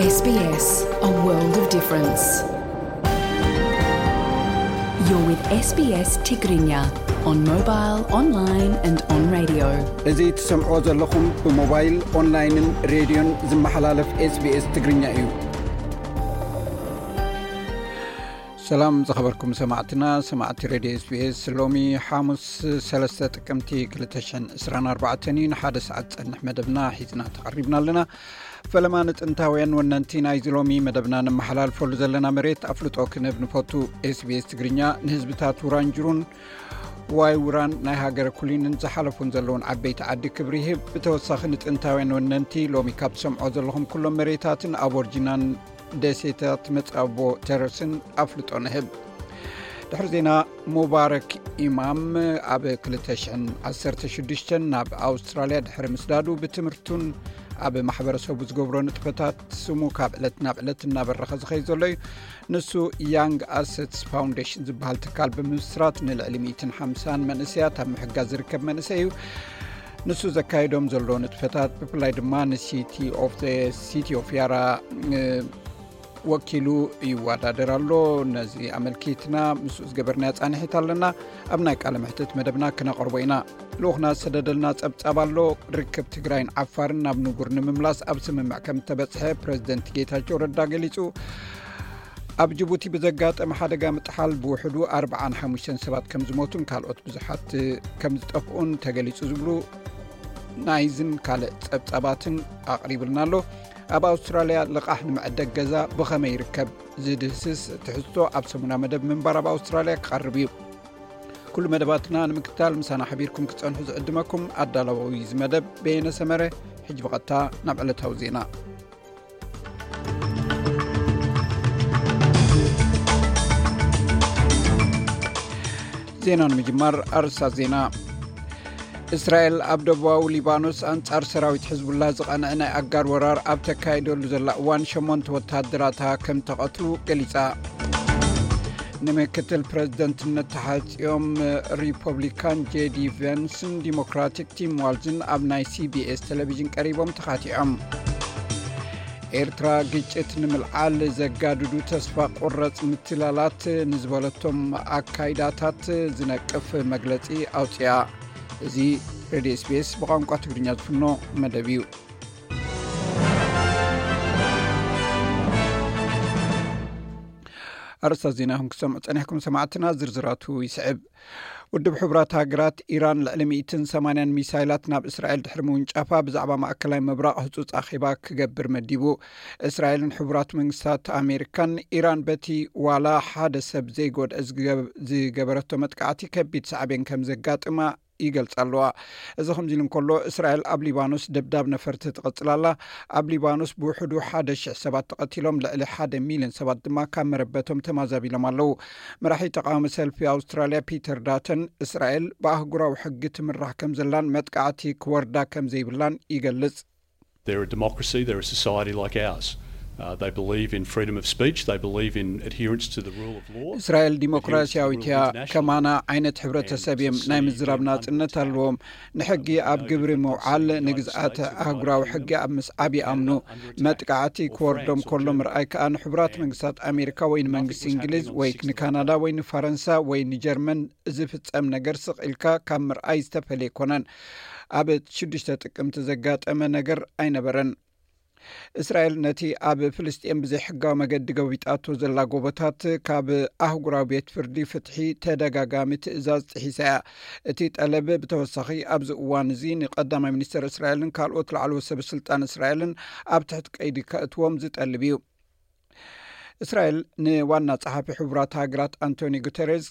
S B S, a world of difference. You're with S B S Tigrinya on mobile, online and on radio. እዚ ትሰምዖ ዘለኹም ብሞባይል፣ ኦንላይንን ሬድዮን ዝመሓላለፍ SBS ትግርኛ እዩ። ሰላም ዝኸበርኩም ሰማዕትና፣ ሰማዕቲ ሬድዮ SBS። ሎሚ ሓሙስ ሰለስተ ጥቅምቲ ክልተ ሽሕን ዕስራን ኣርባዕተን እዩ። ንሓደ ሰዓት ጸንሕ መደብና ሒዝና ተቐሪብና ኣለና። ፈለማ ንጥንታውያን ወነንቲ ናይዚ ሎሚ መደብና ነመሓላልፈሉ ዘለና መሬት ኣፍልጦ ክንህብ ንፈቱ። SBS ትግርኛ ንህዝብታት ውራንጅሩን ዋይ ውራን ናይ ሃገረ ኩሊንን ዝሓለፉን ዘለውን ዓበይቲ ዓዲ ክብሪ ይህብ። ብተወሳኺ ንጥንታውያን ወነንቲ ሎሚ ካብ ትሰምዖ ዘለኹም ኩሎም መሬታትን ኣቦርጂናን ደሴታት መጻቦ ተረስን ኣፍልጦ ንህብ። ድሕሪ ዜና፣ ሙባረክ ኢማም ኣብ ክልተ ሽሕን ዓሰርተ ሽዱሽተን ናብ ኣውስትራልያ ድሕሪ ምስዳዱ ብትምህርቱን ኣብ ማሕበረሰቡ ዝገብሮ ንጥፈታት ስሙ ካብ ዕለት ናብ ዕለት እናበረኸ ዝኸይድ ዘሎ እዩ። ንሱ ያንግ ኣሰትስ ፋውንዴሽን ዝበሃል ትካል ብምምስራት ንልዕሊ ሚእትን ሓምሳን መንእሰያት ኣብ ምሕጋዝ ዝርከብ መንእሰይ እዩ። ንሱ ዘካየዶም ዘሎ ንጥፈታት ብፍላይ ድማ ንሲቲ ኦፍ ሲቲ ኦፍ ያራ ወኪሉ ይወዳደር ኣሎ። ነዚ ኣመልኪትና ምስኡ ዝገበርናዮ ጻንሒት ኣለና። ኣብ ናይ ቃለ መሕትት መደብና ክነቕርቦ ኢና። ልኡኽና ዝሰደደልና ጸብጻብ ኣሎ። ርክብ ትግራይን ዓፋርን ናብ ንቡር ንምምላስ ኣብ ስምምዕ ከም እተበጽሐ ፕረዚደንት ጌታቸው ረዳ ገሊጹ። ኣብ ጅቡቲ ብዘጋጠመ ሓደጋ ምጥሓል ብውሕዱ ኣርብዓን ሓሙሽተን ሰባት ከም ዝሞቱን ካልኦት ብዙሓት ከም ዝጠፍኡን ተገሊጹ ዝብሉ ናይዝን ካልእ ጸብጻባትን ኣቕሪብልና ኣሎ። ኣብ ኣውስትራልያ ልቓሕ ንምዕደግ ገዛ ብኸመይ ይርከብ ዝድህስስ ትሕዝቶ ኣብ ሰሙና መደብ ምንባር ኣብ ኣውስትራልያ ክቐርብ እዩ። ኩሉ መደባትና ንምክትታል ምሳና ሓቢርኩም ክትጸንሑ ዝዕድመኩም ኣዳላዊ እዚ መደብ በየነ ሰመረ። ሕጂ ብቐጥታ ናብ ዕለታዊ ዜና። ዜና ንምጅማር ኣርእስታት ዜና። እስራኤል ኣብ ደቡባዊ ሊባኖስ ኣንጻር ሰራዊት ሕዝቡላህ ዝቐንዐ ናይ ኣጋር ወራር ኣብ ተካይደሉ ዘላ እዋን ሸሞንተ ወተሃደራታ ከም ተቐትሉ ገሊጻ። ንምክትል ፕረዚደንትነት ተሓጽዮም ሪፐብሊካን ጄዲ ቨንስን ዲሞክራቲክ ቲም ዋልዝን ኣብ ናይ ሲቢኤስ ቴሌቪዥን ቀሪቦም ተኻቲዖም። ኤርትራ ግጭት ንምልዓል ዘጋድዱ ተስፋ ቁረጽ ምትላላት ንዝበለቶም ኣካይዳታት ዝነቅፍ መግለጺ ኣውጽያ። እዚ ሬድዮ ኤስቢኤስ ብቋንቋ ትግርኛ ዝፍኖ መደብ እዩ። ኣርእስታት ዜና ኢኹም ክሰምዑ ጸኒሕኩም ሰማዕትና፣ ዝርዝራቱ ይስዕብ። ውድብ ሕቡራት ሃገራት፣ ኢራን ልዕሊ ሚእትን ሰማንያን ሚሳይላት ናብ እስራኤል ድሕሪ ምውንጫፋ፣ ብዛዕባ ማእከላይ ምብራቕ ህጹጽ ኣኼባ ክገብር መዲቡ። እስራኤልን ሕቡራት መንግስታት ኣሜሪካን፣ ኢራን በቲ ዋላ ሓደ ሰብ ዘይጎድአ ዝገብ-፣ ዝገበረቶ መጥቃዕቲ ከቢድ ሳዕቤን ከም ዘጋጥማ ይገልጻ ኣለዋ። እዚ ከምዚ ኢሉ እንከሎ፣ እስራኤል ኣብ ሊባኖስ ደብዳብ ነፈርቲ ትቕጽል ኣላ። ኣብ ሊባኖስ ብውሕዱ ሓደ ሽሕ ሰባት ተቐቲሎም፣ ልዕሊ ሓደ ሚልዮን ሰባት ድማ ካብ መረበቶም ተማዛቢሎም ኣለዉ። መራሒ ተቃዋሚ ሰልፊ ኣውስትራልያ ፒተር ዳተን፣ እስራኤል ብኣህጉራዊ ሕጊ ትምራሕ ከም ዘላን መጥቃዕቲ ክወርዳ ከም ዘይብላን ይገልጽ። They're a democracy, they're a society like ours. Uh, they believe in freedom of speech, they believe in adherence to the rule of law. እስራኤል ዲሞክራሲያዊት እያ። ከማና ዓይነት ሕብረተሰብ እዮም። ናይ ምዝራብ ናጽነት ኣለዎም። ንሕጊ ኣብ ግብሪ ምውዓል፣ ንግዝኣት ኣህጉራዊ ሕጊ ኣብ ምስዓብ ይኣምኑ። መጥቃዕቲ ክወርዶም ከሎ ምርኣይ ከኣ ንሕቡራት መንግስታት ኣሜሪካ ወይ ንመንግስቲ እንግሊዝ ወይ ንካናዳ ወይ ንፈረንሳ ወይ ንጀርመን ዝፍጸም ነገር ስቕ ኢልካ ካብ ምርኣይ ዝተፈልየ ኣይኮነን። ኣብ ሽዱሽተ ጥቅምቲ ዘጋጠመ ነገር ኣይነበረን። እስራኤል ነቲ ኣብ ፍልስጤም ብዘይሕጋዊ መገዲ ገቢጣቶ ዘላ ጎቦታት ካብ ኣህጉራዊ ቤት ፍርዲ ፍትሒ ተደጋጋሚ ትእዛዝ ጥሒሳ እያ። እቲ ጠለብ ብተወሳኺ ኣብዚ እዋን እዚ ንቀዳማይ ሚኒስተር እስራኤልን ካልኦት ላዕለዎት ሰበ ስልጣን እስራኤልን ኣብ ትሕቲ ቀይዲ ከእትዎም ዝጠልብ እዩ። እስራኤል ንዋና ጸሓፊ ሕቡራት ሃገራት ኣንቶኒ ጉተሬዝ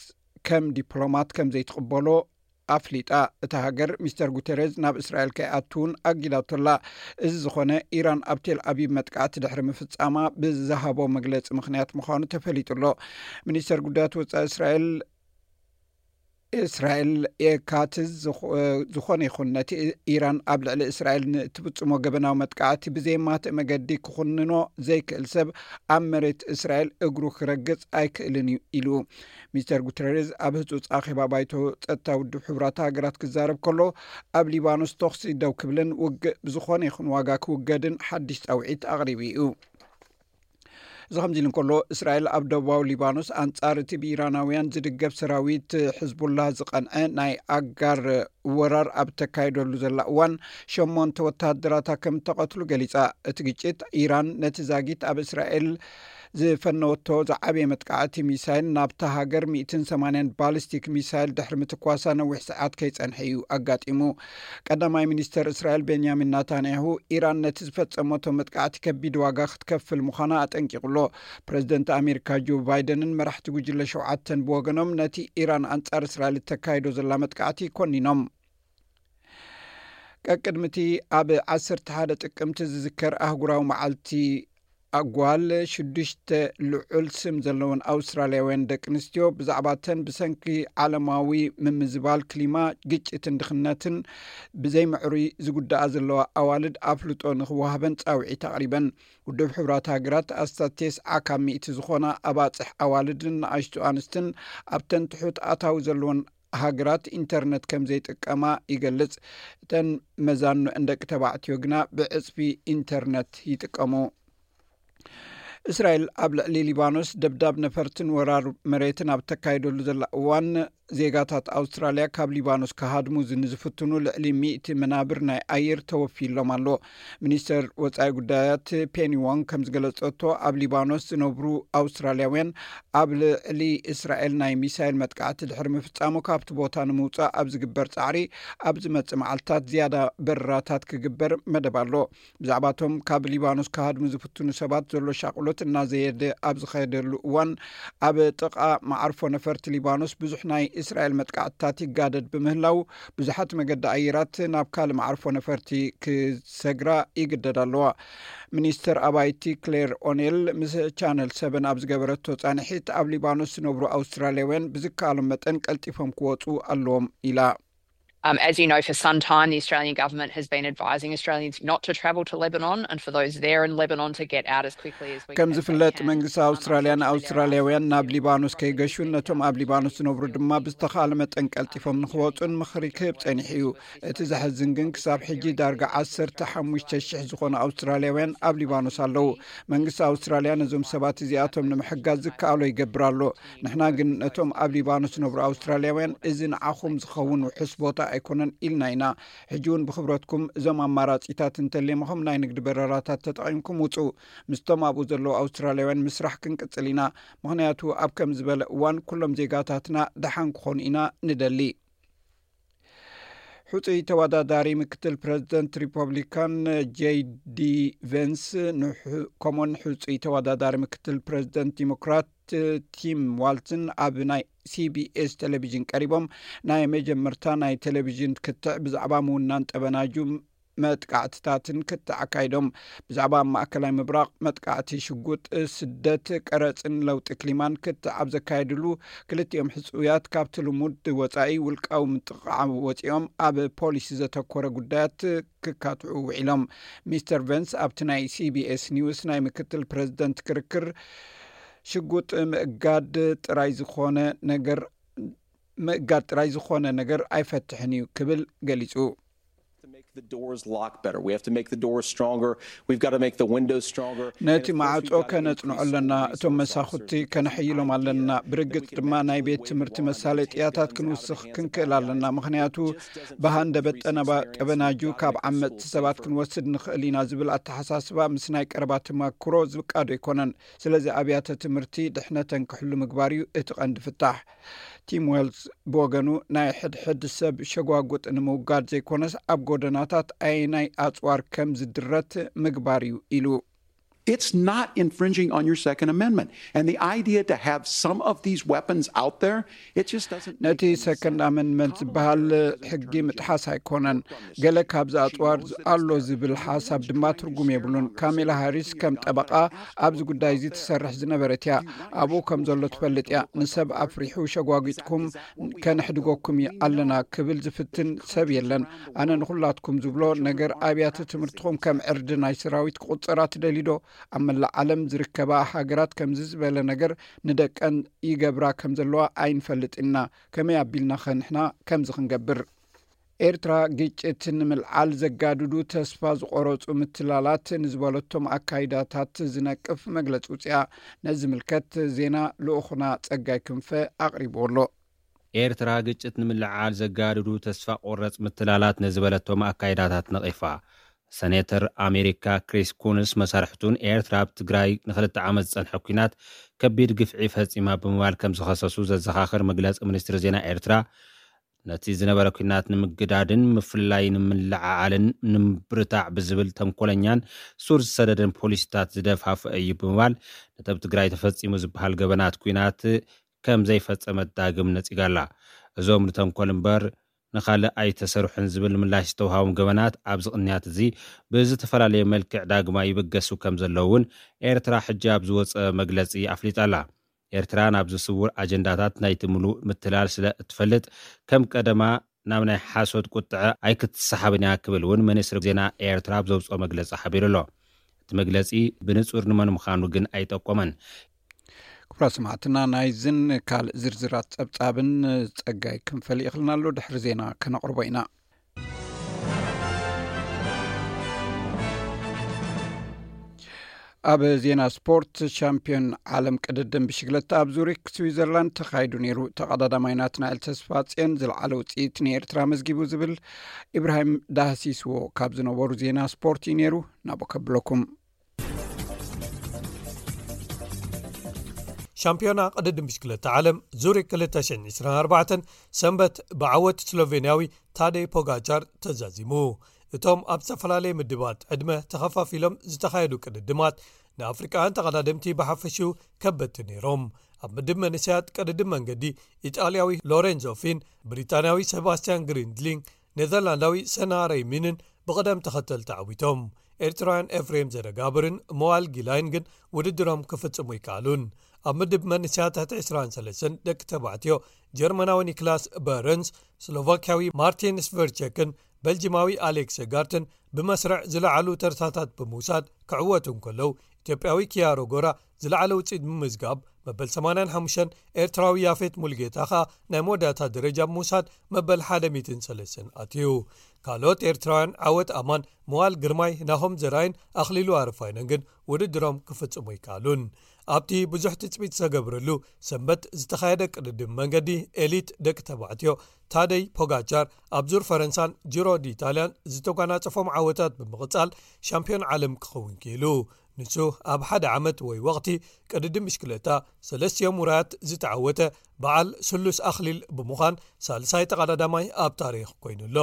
ከም ዲፕሎማት ከም ዘይትቕበሎ ኣፍሊጣ። እታ ሃገር ሚስተር ጉተሬዝ ናብ እስራኤል ከይኣትውን ኣጊዳቶላ። እዚ ዝኾነ፣ ኢራን ኣብ ቴል ኣቪቭ መጥቃዕቲ ድሕሪ ምፍጻማ ብዝሃቦ መግለጺ ምኽንያት ምዃኑ ተፈሊጡ ኣሎ። ሚኒስተር ጉዳያት ወጻኢ እስራኤል እስራኤል ካትዝ ዝኾ-፣ ዝኾነ ይኹን ነቲ ኢራን ኣብ ልዕሊ እስራኤል ንእትፍጽሞ ገበናዊ መጥቃዕቲ ብዘየማትእ መገዲ ክኹንኖ ዘይክእል ሰብ ኣብ መሬት እስራኤል እግሩ ክረግጽ ኣይክእልን እዩ ኢሉ። ሚስተር ጉተሬዝ ኣብ ህጹጽ ኣኼባ ባይቶ ጸጥታ ውድብ ሕቡራት ሃገራት ክዛረብ ከሎ፣ ኣብ ሊባኖስ ተኹሲ ደው ክብልን ውግእ ብዝኾነ ይኹን ዋጋ ክውገድን ሓድሽ ጻውዒት ኣቕሪቡ እዩ። እዚ ከምዚ ኢሉ እንከሎ፣ እስራኤል ኣብ ደቡባዊ ሊባኖስ ኣንጻር እቲ ብኢራናውያን ዝድገፍ ሰራዊት ሕዝቡላህ ዝቐንዐ ናይ ኣጋር ወራር ኣብ ተካይደሉ ዘላ እዋን፣ ሸሞንተ ወተሃደራታ ከም እተቐትሉ ገሊጻ። እቲ ግጭት፣ ኢራን ነቲ ዛጊት ኣብ እስራኤል ዝፈነወቶ ዝዓበየ መጥቃዕቲ ሚሳይል ናብታ ሃገር ሚእትን ሰማንያን ባሊስቲክ ሚሳይል ድሕሪ ምትኳሳ ነዊሕ ሰዓት ከይጸንሐ እዩ ኣጋጢሙ። ቀዳማይ ሚኒስተር እስራኤል ቤንያሚን ናታንያሁ፣ ኢራን ነቲ ዝፈጸመቶ መጥቃዕቲ ከቢድ ዋጋ ክትከፍል ምዃና ኣጠንቂቑ ኣሎ። ፕረዚደንት ኣሜሪካ ጆ ባይደንን መራሕቲ ጉጅለ ሸውዓተን ብወገኖም፣ ነቲ ኢራን ኣንጻር እስራኤል እተካይዶ ዘላ መጥቃዕቲ ኮኒኖም። ቀቅድሚቲ፣ ኣብ ዓሰርተ ሓደ ጥቅምቲ ዝዝከር ኣህጉራዊ መዓልቲ ኣጓል፣ ሽዱሽተ ልዑል ስም ዘለወን ኣውስትራልያውያን ደቂ ኣንስትዮ ብዛዕባ እተን ብሰንኪ ዓለማዊ ምምዝባል ክሊማ፣ ግጭትን ድኽነትን ብዘይምዕሩይ ዝጉዳኣ ዘለዋ ኣዋልድ ኣፍልጦ ንኽወሃበን ጻውዒት ኣቕሪበን። ውድብ ሕቡራት ሃገራት ኣስታት ተስዓ ካብ ሚእቲ ዝኾና ኣባጽሕ ኣዋልድን ንኣሽቱ ኣንስትን ኣብተን ትሑት ኣታዊ ዘለወን ሃገራት ኢንተርነት ከም ዘይጥቀማ ይገልጽ። እተን መዛኑ እንደቂ ተባዕትዮ ግና ብዕጽፊ ኢንተርነት ይጥቀሙ። እስራኤል ኣብ ልዕሊ ሊባኖስ ደብዳብ ነፈርትን ወራር መሬትን ኣብ ተካይደሉ ዘላ እዋን፣ ዜጋታት ኣውስትራልያ ካብ ሊባኖስ ክሃድሙ ንዝፍትኑ ልዕሊ ሚእቲ መናብር ናይ ኣየር ተወፊሎም ኣሎ። ሚኒስተር ወጻኢ ጉዳያት ፔኒ ዎንግ ከም ዝገለጸቶ፣ ኣብ ሊባኖስ ዝነብሩ ኣውስትራልያውያን ኣብ ልዕሊ እስራኤል ናይ ሚሳይል መጥቃዕቲ ድሕሪ ምፍጻሙ፣ ካብቲ ቦታ ንምውጻእ ኣብ ዝግበር ጻዕሪ፣ ኣብ ዝመጽእ መዓልታት ዝያዳ በረራታት ክግበር መደብ ኣሎ። ብዛዕባቶም ካብ ሊባኖስ ክሃድሙ ዝፍትኑ ሰባት ዘሎ ሻቕሎት እናዘየደ ኣብ ዝኸደሉ እዋን፣ ኣብ ጥቓ መዓርፎ ነፈርቲ ሊባኖስ ብዙሕ ናይ እስራኤል መጥቃዕትታት ይጋደድ ብምህላው፣ ብዙሓት መገዲ ኣየራት ናብ ካልእ መዓርፎ ነፈርቲ ክሰግራ ይግደዳ ኣለዋ። ሚኒስተር ኣባይቲ ክሌር ኦኔል ምስ ቻነል ሰበን ኣብ ዝገበረቶ ጻንሒት፣ ኣብ ሊባኖስ ዝነብሩ ኣውስትራልያውያን ብዝከኣሎም መጠን ቀልጢፎም ክወጹ ኣለዎም ኢላ። Um, as you know, for some time, the Australian government has been advising Australians not to travel to Lebanon and for those there in Lebanon to get out as quickly as we ከም ዝፍለጥ፣ መንግስቲ ኣውስትራልያ ንኣውስትራልያውያን ናብ ሊባኖስ ከይገሹን ነቶም ኣብ ሊባኖስ ዝነብሩ ድማ ብዝተኻለ መጠን ቀልጢፎም ንክወፁን ምኽሪ ክህብ ጸኒሑ እዩ። እቲ ዘሕዝን ግን፣ ክሳብ ሕጂ ዳርጋ ዓሰርተ ሓሙሽተ ሽሕ ዝኾኑ ኣውስትራልያውያን ኣብ ሊባኖስ ኣለዉ። መንግስቲ ኣውስትራልያ ነዞም ሰባት እዚኣቶም ንምሕጋዝ ዝከኣሎ ይገብር ኣሎ። ንሕና ግን ነቶም ኣብ ሊባኖስ ዝነብሩ ኣውስትራልያውያን፣ እዚ ንዓኹም ዝኸውን ውሑስ ቦታ ኣይኮነን ኢልና ኢና። ሕጂ እውን ብኽብረትኩም እዞም ኣማራጺታት እንተሌምኹም፣ ናይ ንግዲ በረራታት ተጠቒምኩም ውጹ። ምስቶም ኣብኡ ዘለዉ ኣውስትራልያውያን ምስራሕ ክንቅጽል ኢና። ምኽንያቱ ኣብ ከም ዝበለ እዋን ኩሎም ዜጋታትና ደሓን ክኾኑ ኢና ንደሊ። ሕጹይ ተወዳዳሪ ምክትል ፕረዚደንት ሪፐብሊካን ጄይ ዲ ቨንስ፣ ከምኡን ሕጹይ ተወዳዳሪ ምክትል ፕረዚደንት ዲሞክራት ቲም ዋልትን ኣብ ናይ ሲቢኤስ ቴሌቪዥን ቀሪቦም፣ ናይ መጀመርታ ናይ ቴሌቪዥን ክትዕ ብዛዕባ ምውናን ጠበናጁ መጥቃዕትታትን ክትዕ ኣካይዶም። ብዛዕባ ኣብ ማእከላይ ምብራቕ መጥቃዕቲ ሽጉጥ፣ ስደት፣ ቀረጽን ለውጢ ክሊማን ክትዕ ኣብ ዘካየድሉ፣ ክልቲኦም ሕጹያት ካብቲ ልሙድ ወጻኢ ውልቃዊ ምጥቕዓም ወጺኦም ኣብ ፖሊሲ ዘተኮረ ጉዳያት ክካትዑ ውዒሎም። ሚስተር ቨንስ ኣብቲ ናይ ሲቢኤስ ኒውስ ናይ ምክትል ፕረዚደንት ክርክር፣ ሽጉጥ ምእጋድ ጥራይ ዝኾነ ነገር ምእጋድ ጥራይ ዝኾነ ነገር ኣይፈትሕን እዩ ክብል ገሊጹ። Make the doors lock better. We have to make the doors stronger. We've got to make the windows stronger. ነቲ ማዕጾ ከነጽንዖ ኣለና። እቶም መሳኹቲ ከነሐይሎም ኣለና። ብርግጽ ድማ ናይ ቤት ትምህርቲ መሳለጥያታት ክንውስኽ ክንክእል ኣለና። ምኽንያቱ ብሃንደበት ጠበናጁ ካብ ዓመጽቲ ሰባት ክንወስድ ንኽእል ኢና ዝብል ኣተሓሳስባ ምስ ናይ ቀረባ ተመክሮ ዝቃዶ ኣይኮነን። ስለዚ ኣብያተ ትምህርቲ ድሕነተን ክሕሉ ምግባር እዩ እቲ ቀንዲ ፍታሕ። ቲም ዌልስ ብወገኑ፣ ናይ ሕድሕድ ሰብ ሸጓጉጥ ንምውጋድ ዘይኮነስ፣ ኣብ ጎደናታት ኣየናይ ኣጽዋር ከም ዝድረት ምግባር እዩ ኢሉ። It's not infringing on your Second Amendment. And the idea to have some of these weapons out there, it just doesn't ነቲ ሰከንድ ኣመንድመንት ዝበሃል ሕጊ ምጥሓስ ኣይኮነን። ገለ ካብዚ ኣጽዋር ኣሎ ዝብል ሓሳብ ድማ ትርጉም የብሉን። ካሜላ ሃሪስ ከም ጠበቓ ኣብዚ ጉዳይ እዚ ትሰርሕ ዝነበረት እያ። ኣብኡ ከም ዘሎ ትፈልጥ እያ። ንሰብ ኣፍሪሑ ሸጓጒጥኩም ከነሕድገኩም ኣለና ክብል ዝፍትን ሰብ የለን። ኣነ ንኹላትኩም ዝብሎ ነገር፣ ኣብያተ ትምህርትኹም ከም ዕርዲ ናይ ሰራዊት ክቑጸራ ትደልዩ ዶ? ኣብ መላእ ዓለም ዝርከባ ሃገራት ከምዚ ዝበለ ነገር ንደቀን ይገብራ ከም ዘለዋ ኣይንፈልጥን ኢና። ከመይ ኣቢልናኸ ንሕና ከምዚ ክንገብር? ኤርትራ ግጭት ንምልዓል ዘጋድዱ ተስፋ ዝቆረጹ ምትላላት ንዝበለቶም ኣካይዳታት ዝነቅፍ መግለጺ ውጽያ። ነዚ ምልከት ዜና ልኡኹና ጸጋይ ክንፈ ኣቕሪብዎ ኣሎ። ኤርትራ ግጭት ንምልዓል ዘጋድዱ ተስፋ ቆረጽ ምትላላት ንዝበለቶም ኣካይዳታት ነቒፋ። ሰኔተር ኣሜሪካ ክሪስ ኩንስ መሳርሕቱን ኤርትራ ኣብ ትግራይ ንክልተ ዓመት ዝጸንሐ ኲናት ከቢድ ግፍዒ ፈጺማ ብምባል ከም ዝኸሰሱ ዘዘኻኽር መግለጺ ሚኒስትሪ ዜና ኤርትራ፣ ነቲ ዝነበረ ኲናት ንምግዳድን ምፍልላይ ንምልዓዓልን ንምብርታዕ ብዝብል ተንኮለኛን ሱር ዝሰደደን ፖሊሲታት ዝደፋፍአ እዩ ብምባል፣ ነቲ ኣብ ትግራይ ተፈጺሙ ዝበሃል ገበናት ኲናት ከም ዘይፈጸመት ዳግም ነጺጋላ። እዞም ንተንኮል እምበር ንኻልእ ኣይተሰርሑን ዝብል ምላሽ ዝተውሃቦም ገበናት ኣብዚ ቅንያት እዚ ብዝተፈላለየ መልክዕ ዳግማ ይብገሱ ከም ዘለዉ እውን ኤርትራ ሕጂ ኣብ ዝወጸ መግለጺ ኣፍሊጣ ኣላ። ኤርትራ ናብዚ ስውር ኣጀንዳታት ናይቲ ምሉእ ምትላል ስለ እትፈልጥ፣ ከም ቀደማ ናብ ናይ ሓሶት ቁጥዐ ኣይክትሰሓብን እያ ክብል እውን ሚኒስትሪ ዜና ኤርትራ ኣብ ዘውፅኦ መግለጺ ሓቢሩ ኣሎ። እቲ መግለጺ ብንጹር ንመን ምዃኑ ግን ኣይጠቆመን። ክቡራት ሰማዕትና፣ ናይዝን ካልእ ዝርዝራት ጸብጻብን ጸጋይ ክንፈሊ ይኽልና ኣሎ። ድሕሪ ዜና ከነቕርቦ ኢና። ኣብ ዜና ስፖርት፣ ሻምፒዮን ዓለም ቅድድም ብሽግለታ ኣብ ዙሪክ ስዊዘርላንድ ተኻይዱ ነይሩ። ተቐዳዳማይ ናትናኤል ተስፋጽዮን ዝለዓለ ውፅኢት ንኤርትራ መዝጊቡ ዝብል ኢብራሂም ዳህሲስዎ ካብ ዝነበሩ ዜና ስፖርት እዩ ነይሩ። ናብኡ ከብለኩም። ሻምፒዮና ቅድድም ብሽክለታ ዓለም ዙሪክ ክልተ ሽሕን ዕስራን ኣርባዕተን ሰንበት ብዓወት ስሎቬንያዊ ታደይ ፖጋቻር ተዛዚሙ። እቶም ኣብ ዝተፈላለየ ምድባት ዕድመ ተኸፋፊሎም ዝተኻየዱ ቅድድማት ንኣፍሪቃውያን ተቐዳደምቲ ብሓፈሽኡ ከበድቲ ነይሮም። ኣብ ምድብ መንእሰያት ቅድድም መንገዲ ኢጣልያዊ ሎሬንዞ ፊን፣ ብሪጣንያዊ ሰባስቲያን ግሪንድሊንግ፣ ኔዘርላንዳዊ ሰና ረይሚንን ብቕደም ተኸተል ተዓዊቶም። ኤርትራውያን ኤፍሬም ዘረጋብርን መዋል ጊላይን ግን ውድድሮም ክፍጽሙ ይከኣሉን። ኣብ ምድብ መንእሰያት ትሕቲ ዕስራን ሰለስተን ደቂ ተባዕትዮ ጀርመናዊ ኒክላስ በረንስ፣ ስሎቫክያዊ ማርቲን ስቨርቸክን በልጅማዊ ኣሌክስ ጋርትን ብመስርዕ ዝለዓሉ ተርታታት ብምውሳድ ክዕወቱ እንከለዉ፣ ኢትዮጵያዊ ኪያሮ ጎራ ዝለዓለ ውፅኢት ብምምዝጋብ መበል ሰማንያን ሓሙሽተን፣ ኤርትራዊ ያፌት ሙልጌታ ኸኣ ናይ መወዳእታ ደረጃ ብምውሳድ መበል ሓደ ሚእትን ሰለስተን ኣትዩ። ካልኦት ኤርትራውያን ዓወት ኣማን፣ መዋል ግርማይ፣ ናሆም ዘርኣይን ኣኽሊሉ ኣረፋይነን ግን ውድድሮም ክፍጽሙ ኣይከኣሉን። ኣብቲ ብዙሕ ትጽቢት ዝተገብረሉ ሰንበት ዝተኻየደ ቅድድም መንገዲ ኤሊት ደቂ ተባዕትዮ፣ ታደይ ፖጋቻር ኣብ ዙር ፈረንሳን ጂሮ ዲ ኢጣልያን ዝተጓናጸፎም ዓወታት ብምቕጻል ሻምፒዮን ዓለም ክኸውን ክኢሉ። ንሱ ኣብ ሓደ ዓመት ወይ ወቕቲ ቅድድም ብሽክለታ ሰለስቲኦም ውራያት ዝተዓወተ በዓል ስሉስ ኣኽሊል ብምዃን ሳልሳይ ተቐዳዳማይ ኣብ ታሪኽ ኮይኑ ኣሎ።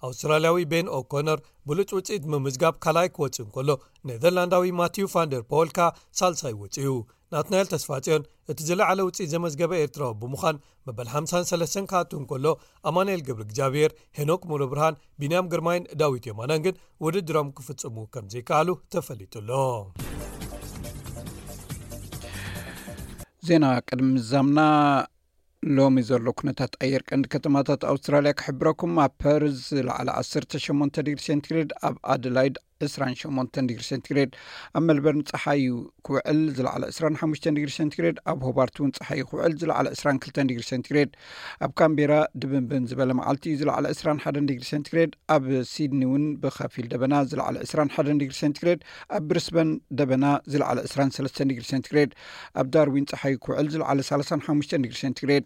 ኣውስትራልያዊ ቤን ኦኮነር ብሉጽ ውጽኢት ምምዝጋብ ካልኣይ ክወጽእ እንከሎ፣ ኔዘርላንዳዊ ማቲዩ ፋንደር ፖል ከኣ ሳልሳይ ወጺኡ። ናትናኤል ተስፋጽዮን እቲ ዝለዓለ ውጽኢት ዘመዝገበ ኤርትራዊ ብምዃን መበል ሓምሳን ሰለስተን ክኣቱ እንከሎ፣ ኣማኑኤል ገብረ እግዚኣብሔር፣ ሄኖክ ሙሉብርሃን፣ ቢንያም ግርማይን ዳዊት የማነን ግን ውድድሮም ክፍጽሙ ከም ዘይከኣሉ ተፈሊጡ ኣሎ። ዜና ቅድሚ ምዛምና፣ ሎሚ ዘሎ ኩነታት ኣየር ቀንዲ ከተማታት ኣውስትራልያ ክሕብረኩም። ኣብ ፐርዝ ዝለዓለ ዓሰርተ ሸሞንተ ዲግሪ ሴንቲግሬድ፣ ኣብ ኣደላይድ ዕስራን ሸሞንተን ዲግሪ ሴንቲግሬድ፣ ኣብ ሜልበርን ጸሓይ ክውዕል ዝለዓለ ዕስራን ሓሙሽተን ዲግሪ ሴንቲግሬድ፣ ኣብ ሆባርት እውን ጸሓይ ክውዕል ዝለዓለ ዕስራን ክልተን ዲግሪ ሴንቲግሬድ፣ ኣብ ካምቤራ ድብንብን ዝበለ መዓልቲ እዩ ዝለዓለ ዕስራን ሓደን ዲግሪ ሴንቲግሬድ፣ ኣብ ሲድኒ እውን ብኸፊል ደበና ዝለዓለ ዕስራን ሓደን ዲግሪ ሴንቲግሬድ፣ ኣብ ብሪስበን ደበና ዝለዓለ ዕስራን ሰለስተን ዲግሪ ሴንቲግሬድ፣ ኣብ ዳርዊን ጸሓይ ክውዕል ዝለዓለ ሰላሳን ሓሙሽተን ዲግሪ ሴንቲግሬድ።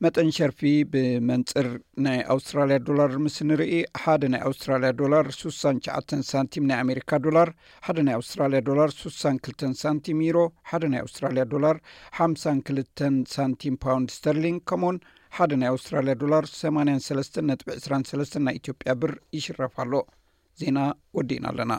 መጠን ሸርፊ ብመንጽር ናይ ኣውስትራልያ ዶላር ምስ ንርኢ፣ ሓደ ናይ ኣውስትራልያ ዶላር ሱሳን ትሽዓተን ሳንቲም ናይ ኣሜሪካ ዶላር፣ ሓደ ናይ ኣውስትራልያ ዶላር ሱሳን ክልተን ሳንቲም ዩሮ፣ ሓደ ናይ ኣውስትራልያ ዶላር ሓምሳን ክልተን ሳንቲም ፓውንድ ስተርሊንግ፣ ከምኡውን ሓደ ናይ ኣውስትራልያ ዶላር ሰማንያን ሰለስተን ነጥቢ ዕስራን ሰለስተን ናይ ኢትዮጵያ ብር ይሽረፍ ኣሎ። ዜና ወዲእና ኣለና።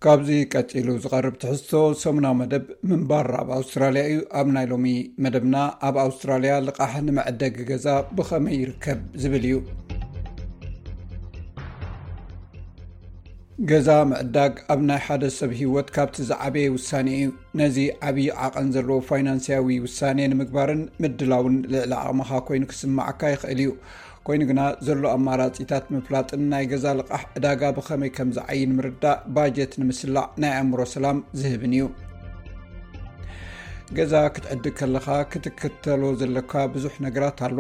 ካብዚ ቀጺሉ ዝቐርብ ትሕዝቶ ሰሙናዊ መደብ ምንባር ኣብ ኣውስትራልያ እዩ። ኣብ ናይ ሎሚ መደብና፣ ኣብ ኣውስትራልያ ልቓሕ ንመዐደጊ ገዛ ብኸመይ ይርከብ ዝብል እዩ። ገዛ ምዕዳግ ኣብ ናይ ሓደ ሰብ ህይወት ካብቲ ዝዓበየ ውሳኔ እዩ። ነዚ ዓብዪ ዓቐን ዘለዎ ፋይናንስያዊ ውሳኔ ንምግባርን ምድላውን ልዕሊ ዓቕምኻ ኮይኑ ክስምዓካ ይኽእል እዩ። ኮይኑ ግና ዘሎ ኣማራጺታት ምፍላጥን ናይ ገዛ ልቓሕ ዕዳጋ ብኸመይ ከም ዝዓይን ምርዳእ ባጀት ንምስላዕ ናይ ኣእምሮ ሰላም ዝህብን እዩ። ገዛ ክትዕድግ ከለኻ ክትክተሎ ዘለካ ብዙሕ ነገራት ኣሎ።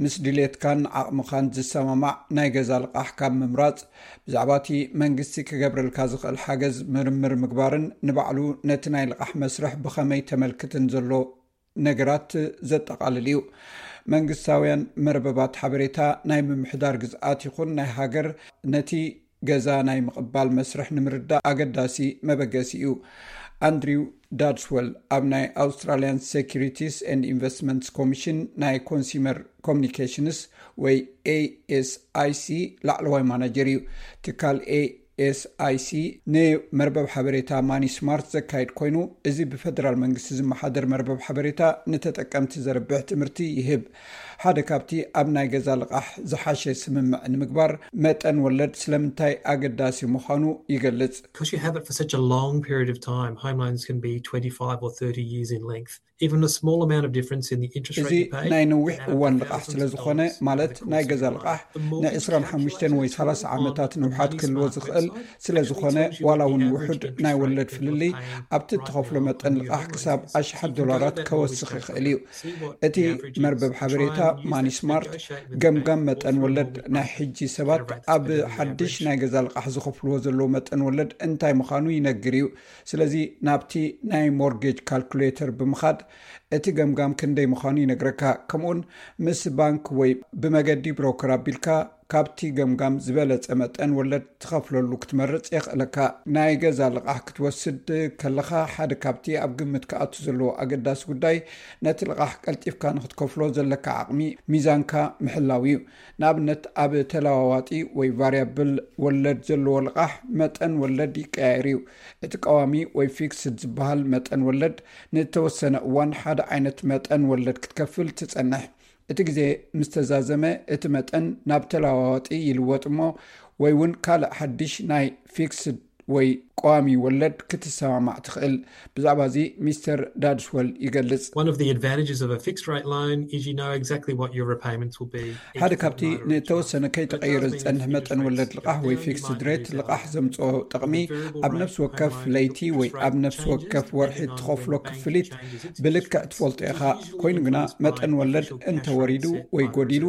ምስ ድሌትካን ዓቕምኻን ዝሰማማዕ ናይ ገዛ ልቓሕ ካብ ምምራጽ፣ ብዛዕባ እቲ መንግስቲ ክገብረልካ ዝኽእል ሓገዝ ምርምር ምግባርን ንባዕሉ ነቲ ናይ ልቓሕ መስርሕ ብኸመይ ተመልክትን ዘሎ ነገራት ዘጠቓልል እዩ። መንግስታውያን መርበባት ሓበሬታ ናይ ምምሕዳር ግዝኣት ይኹን ናይ ሃገር ነቲ ገዛ ናይ ምቕባል መስርሕ ንምርዳእ ኣገዳሲ መበገሲ እዩ። ኣንድሪው ዳድስወል ኣብ ናይ ኣውስትራሊያን ሴኪሪቲስ ኤንድ ኢንቨስትመንትስ ኮሚሽን ናይ ኮንሱመር ኮሚኒኬሽንስ ወይ ኤኤስኣይሲ ላዕለዋይ ማናጀር እዩ። ትካል ኤኤስኣይሲ ንመርበብ ሓበሬታ ማኒ ስማርት ዘካይድ ኮይኑ፣ እዚ ብፈደራል መንግስቲ ዝመሓደር መርበብ ሓበሬታ ንተጠቀምቲ ዘርብሕ ትምህርቲ ይህብ። ሓደ ካብቲ ኣብ ናይ ገዛ ልቓሕ ዝሓሸ ስምምዕ ንምግባር መጠን ወለድ ስለምንታይ ኣገዳሲ ምዃኑ ይገልጽ። Because you have it for such a long period of time, home loans can be twenty-five or thirty years in length. Even a small amount of difference in the interest rate እዚ you pay ናይ ነዊሕ እዋን ልቓሕ ስለ ዝኾነ፣ ማለት ናይ ገዛ ልቓሕ ን25 ወይ ሰላሳ ዓመታት ንውሓት ክህልዎ ዝኽእል ስለ ዝኾነ፣ ዋላ እውን ውሑድ ናይ ወለድ ፍልልይ ኣብቲ እትኸፍሎ መጠን ልቓሕ ክሳብ ኣሽሓት ዶላራት ከወስኽ ይኽእል እዩ። እቲ መርበብ ሓበሬታ ማኒ ስማርት ገምጋም መጠን ወለድ ናይ ሕጂ ሰባት ኣብ ሓድሽ ናይ ገዛ ልቓሕ ዝኸፍልዎ ዘለዉ መጠን ወለድ እንታይ ምዃኑ ይነግር እዩ። ስለዚ ናብቲ ናይ ሞርጌጅ ካልኩሌተር ብምኻድ እቲ ገምጋም ክንደይ ምዃኑ ይነግረካ። ከምኡውን ምስ ባንክ ወይ ብመገዲ ብሮከር ኣቢልካ ካብቲ ገምጋም ዝበለጸ መጠን ወለድ ትኸፍለሉ ክትመርጽ የኽእለካ። ናይ ገዛ ልቓሕ ክትወስድ ከለኻ ሓደ ካብቲ ኣብ ግምት ክኣቱ ዘለዎ ኣገዳሲ ጉዳይ ነቲ ልቓሕ ቀልጢፍካ ንክትከፍሎ ዘለካ ዓቕሚ ሚዛንካ ምሕላው እዩ። ንኣብነት ኣብ ተለዋዋጢ ወይ ቫርያብል ወለድ ዘለዎ ልቓሕ መጠን ወለድ ይቀያየር እዩ። እቲ ቀዋሚ ወይ ፊክስድ ዝበሃል መጠን ወለድ ንተወሰነ እዋን ሓደ ዓይነት መጠን ወለድ ክትከፍል ትጸንሕ። እቲ ግዜ ምስ ተዛዘመ እቲ መጠን ናብ ተለዋዋጢ ይልወጥ እሞ ወይ እውን ካልእ ሓድሽ ናይ ፊክስድ ወይ ቀዋሚ ወለድ ክትሰማማዕ ትኽእል። ብዛዕባ እዚ ሚስተር ዳድስወል ይገልጽ። One of the advantages of a fixed rate loan is you know exactly what your repayments will be. ሓደ ካብቲ ንተወሰነ ከይተቐየረ ዝጸንሕ መጠን ወለድ ልቓሕ ወይ ፊክስድ ሬት ልቓሕ ዘምጽኦ ጥቕሚ ኣብ ነፍሲ ወከፍ ለይቲ ወይ ኣብ ነፍሲ ወከፍ ወርሒ እትኸፍሎ ክፍሊት ብልክዕ ትፈልጦ ኢኻ። ኮይኑ ግና መጠን ወለድ እንተወሪዱ ወይ ጎዲሉ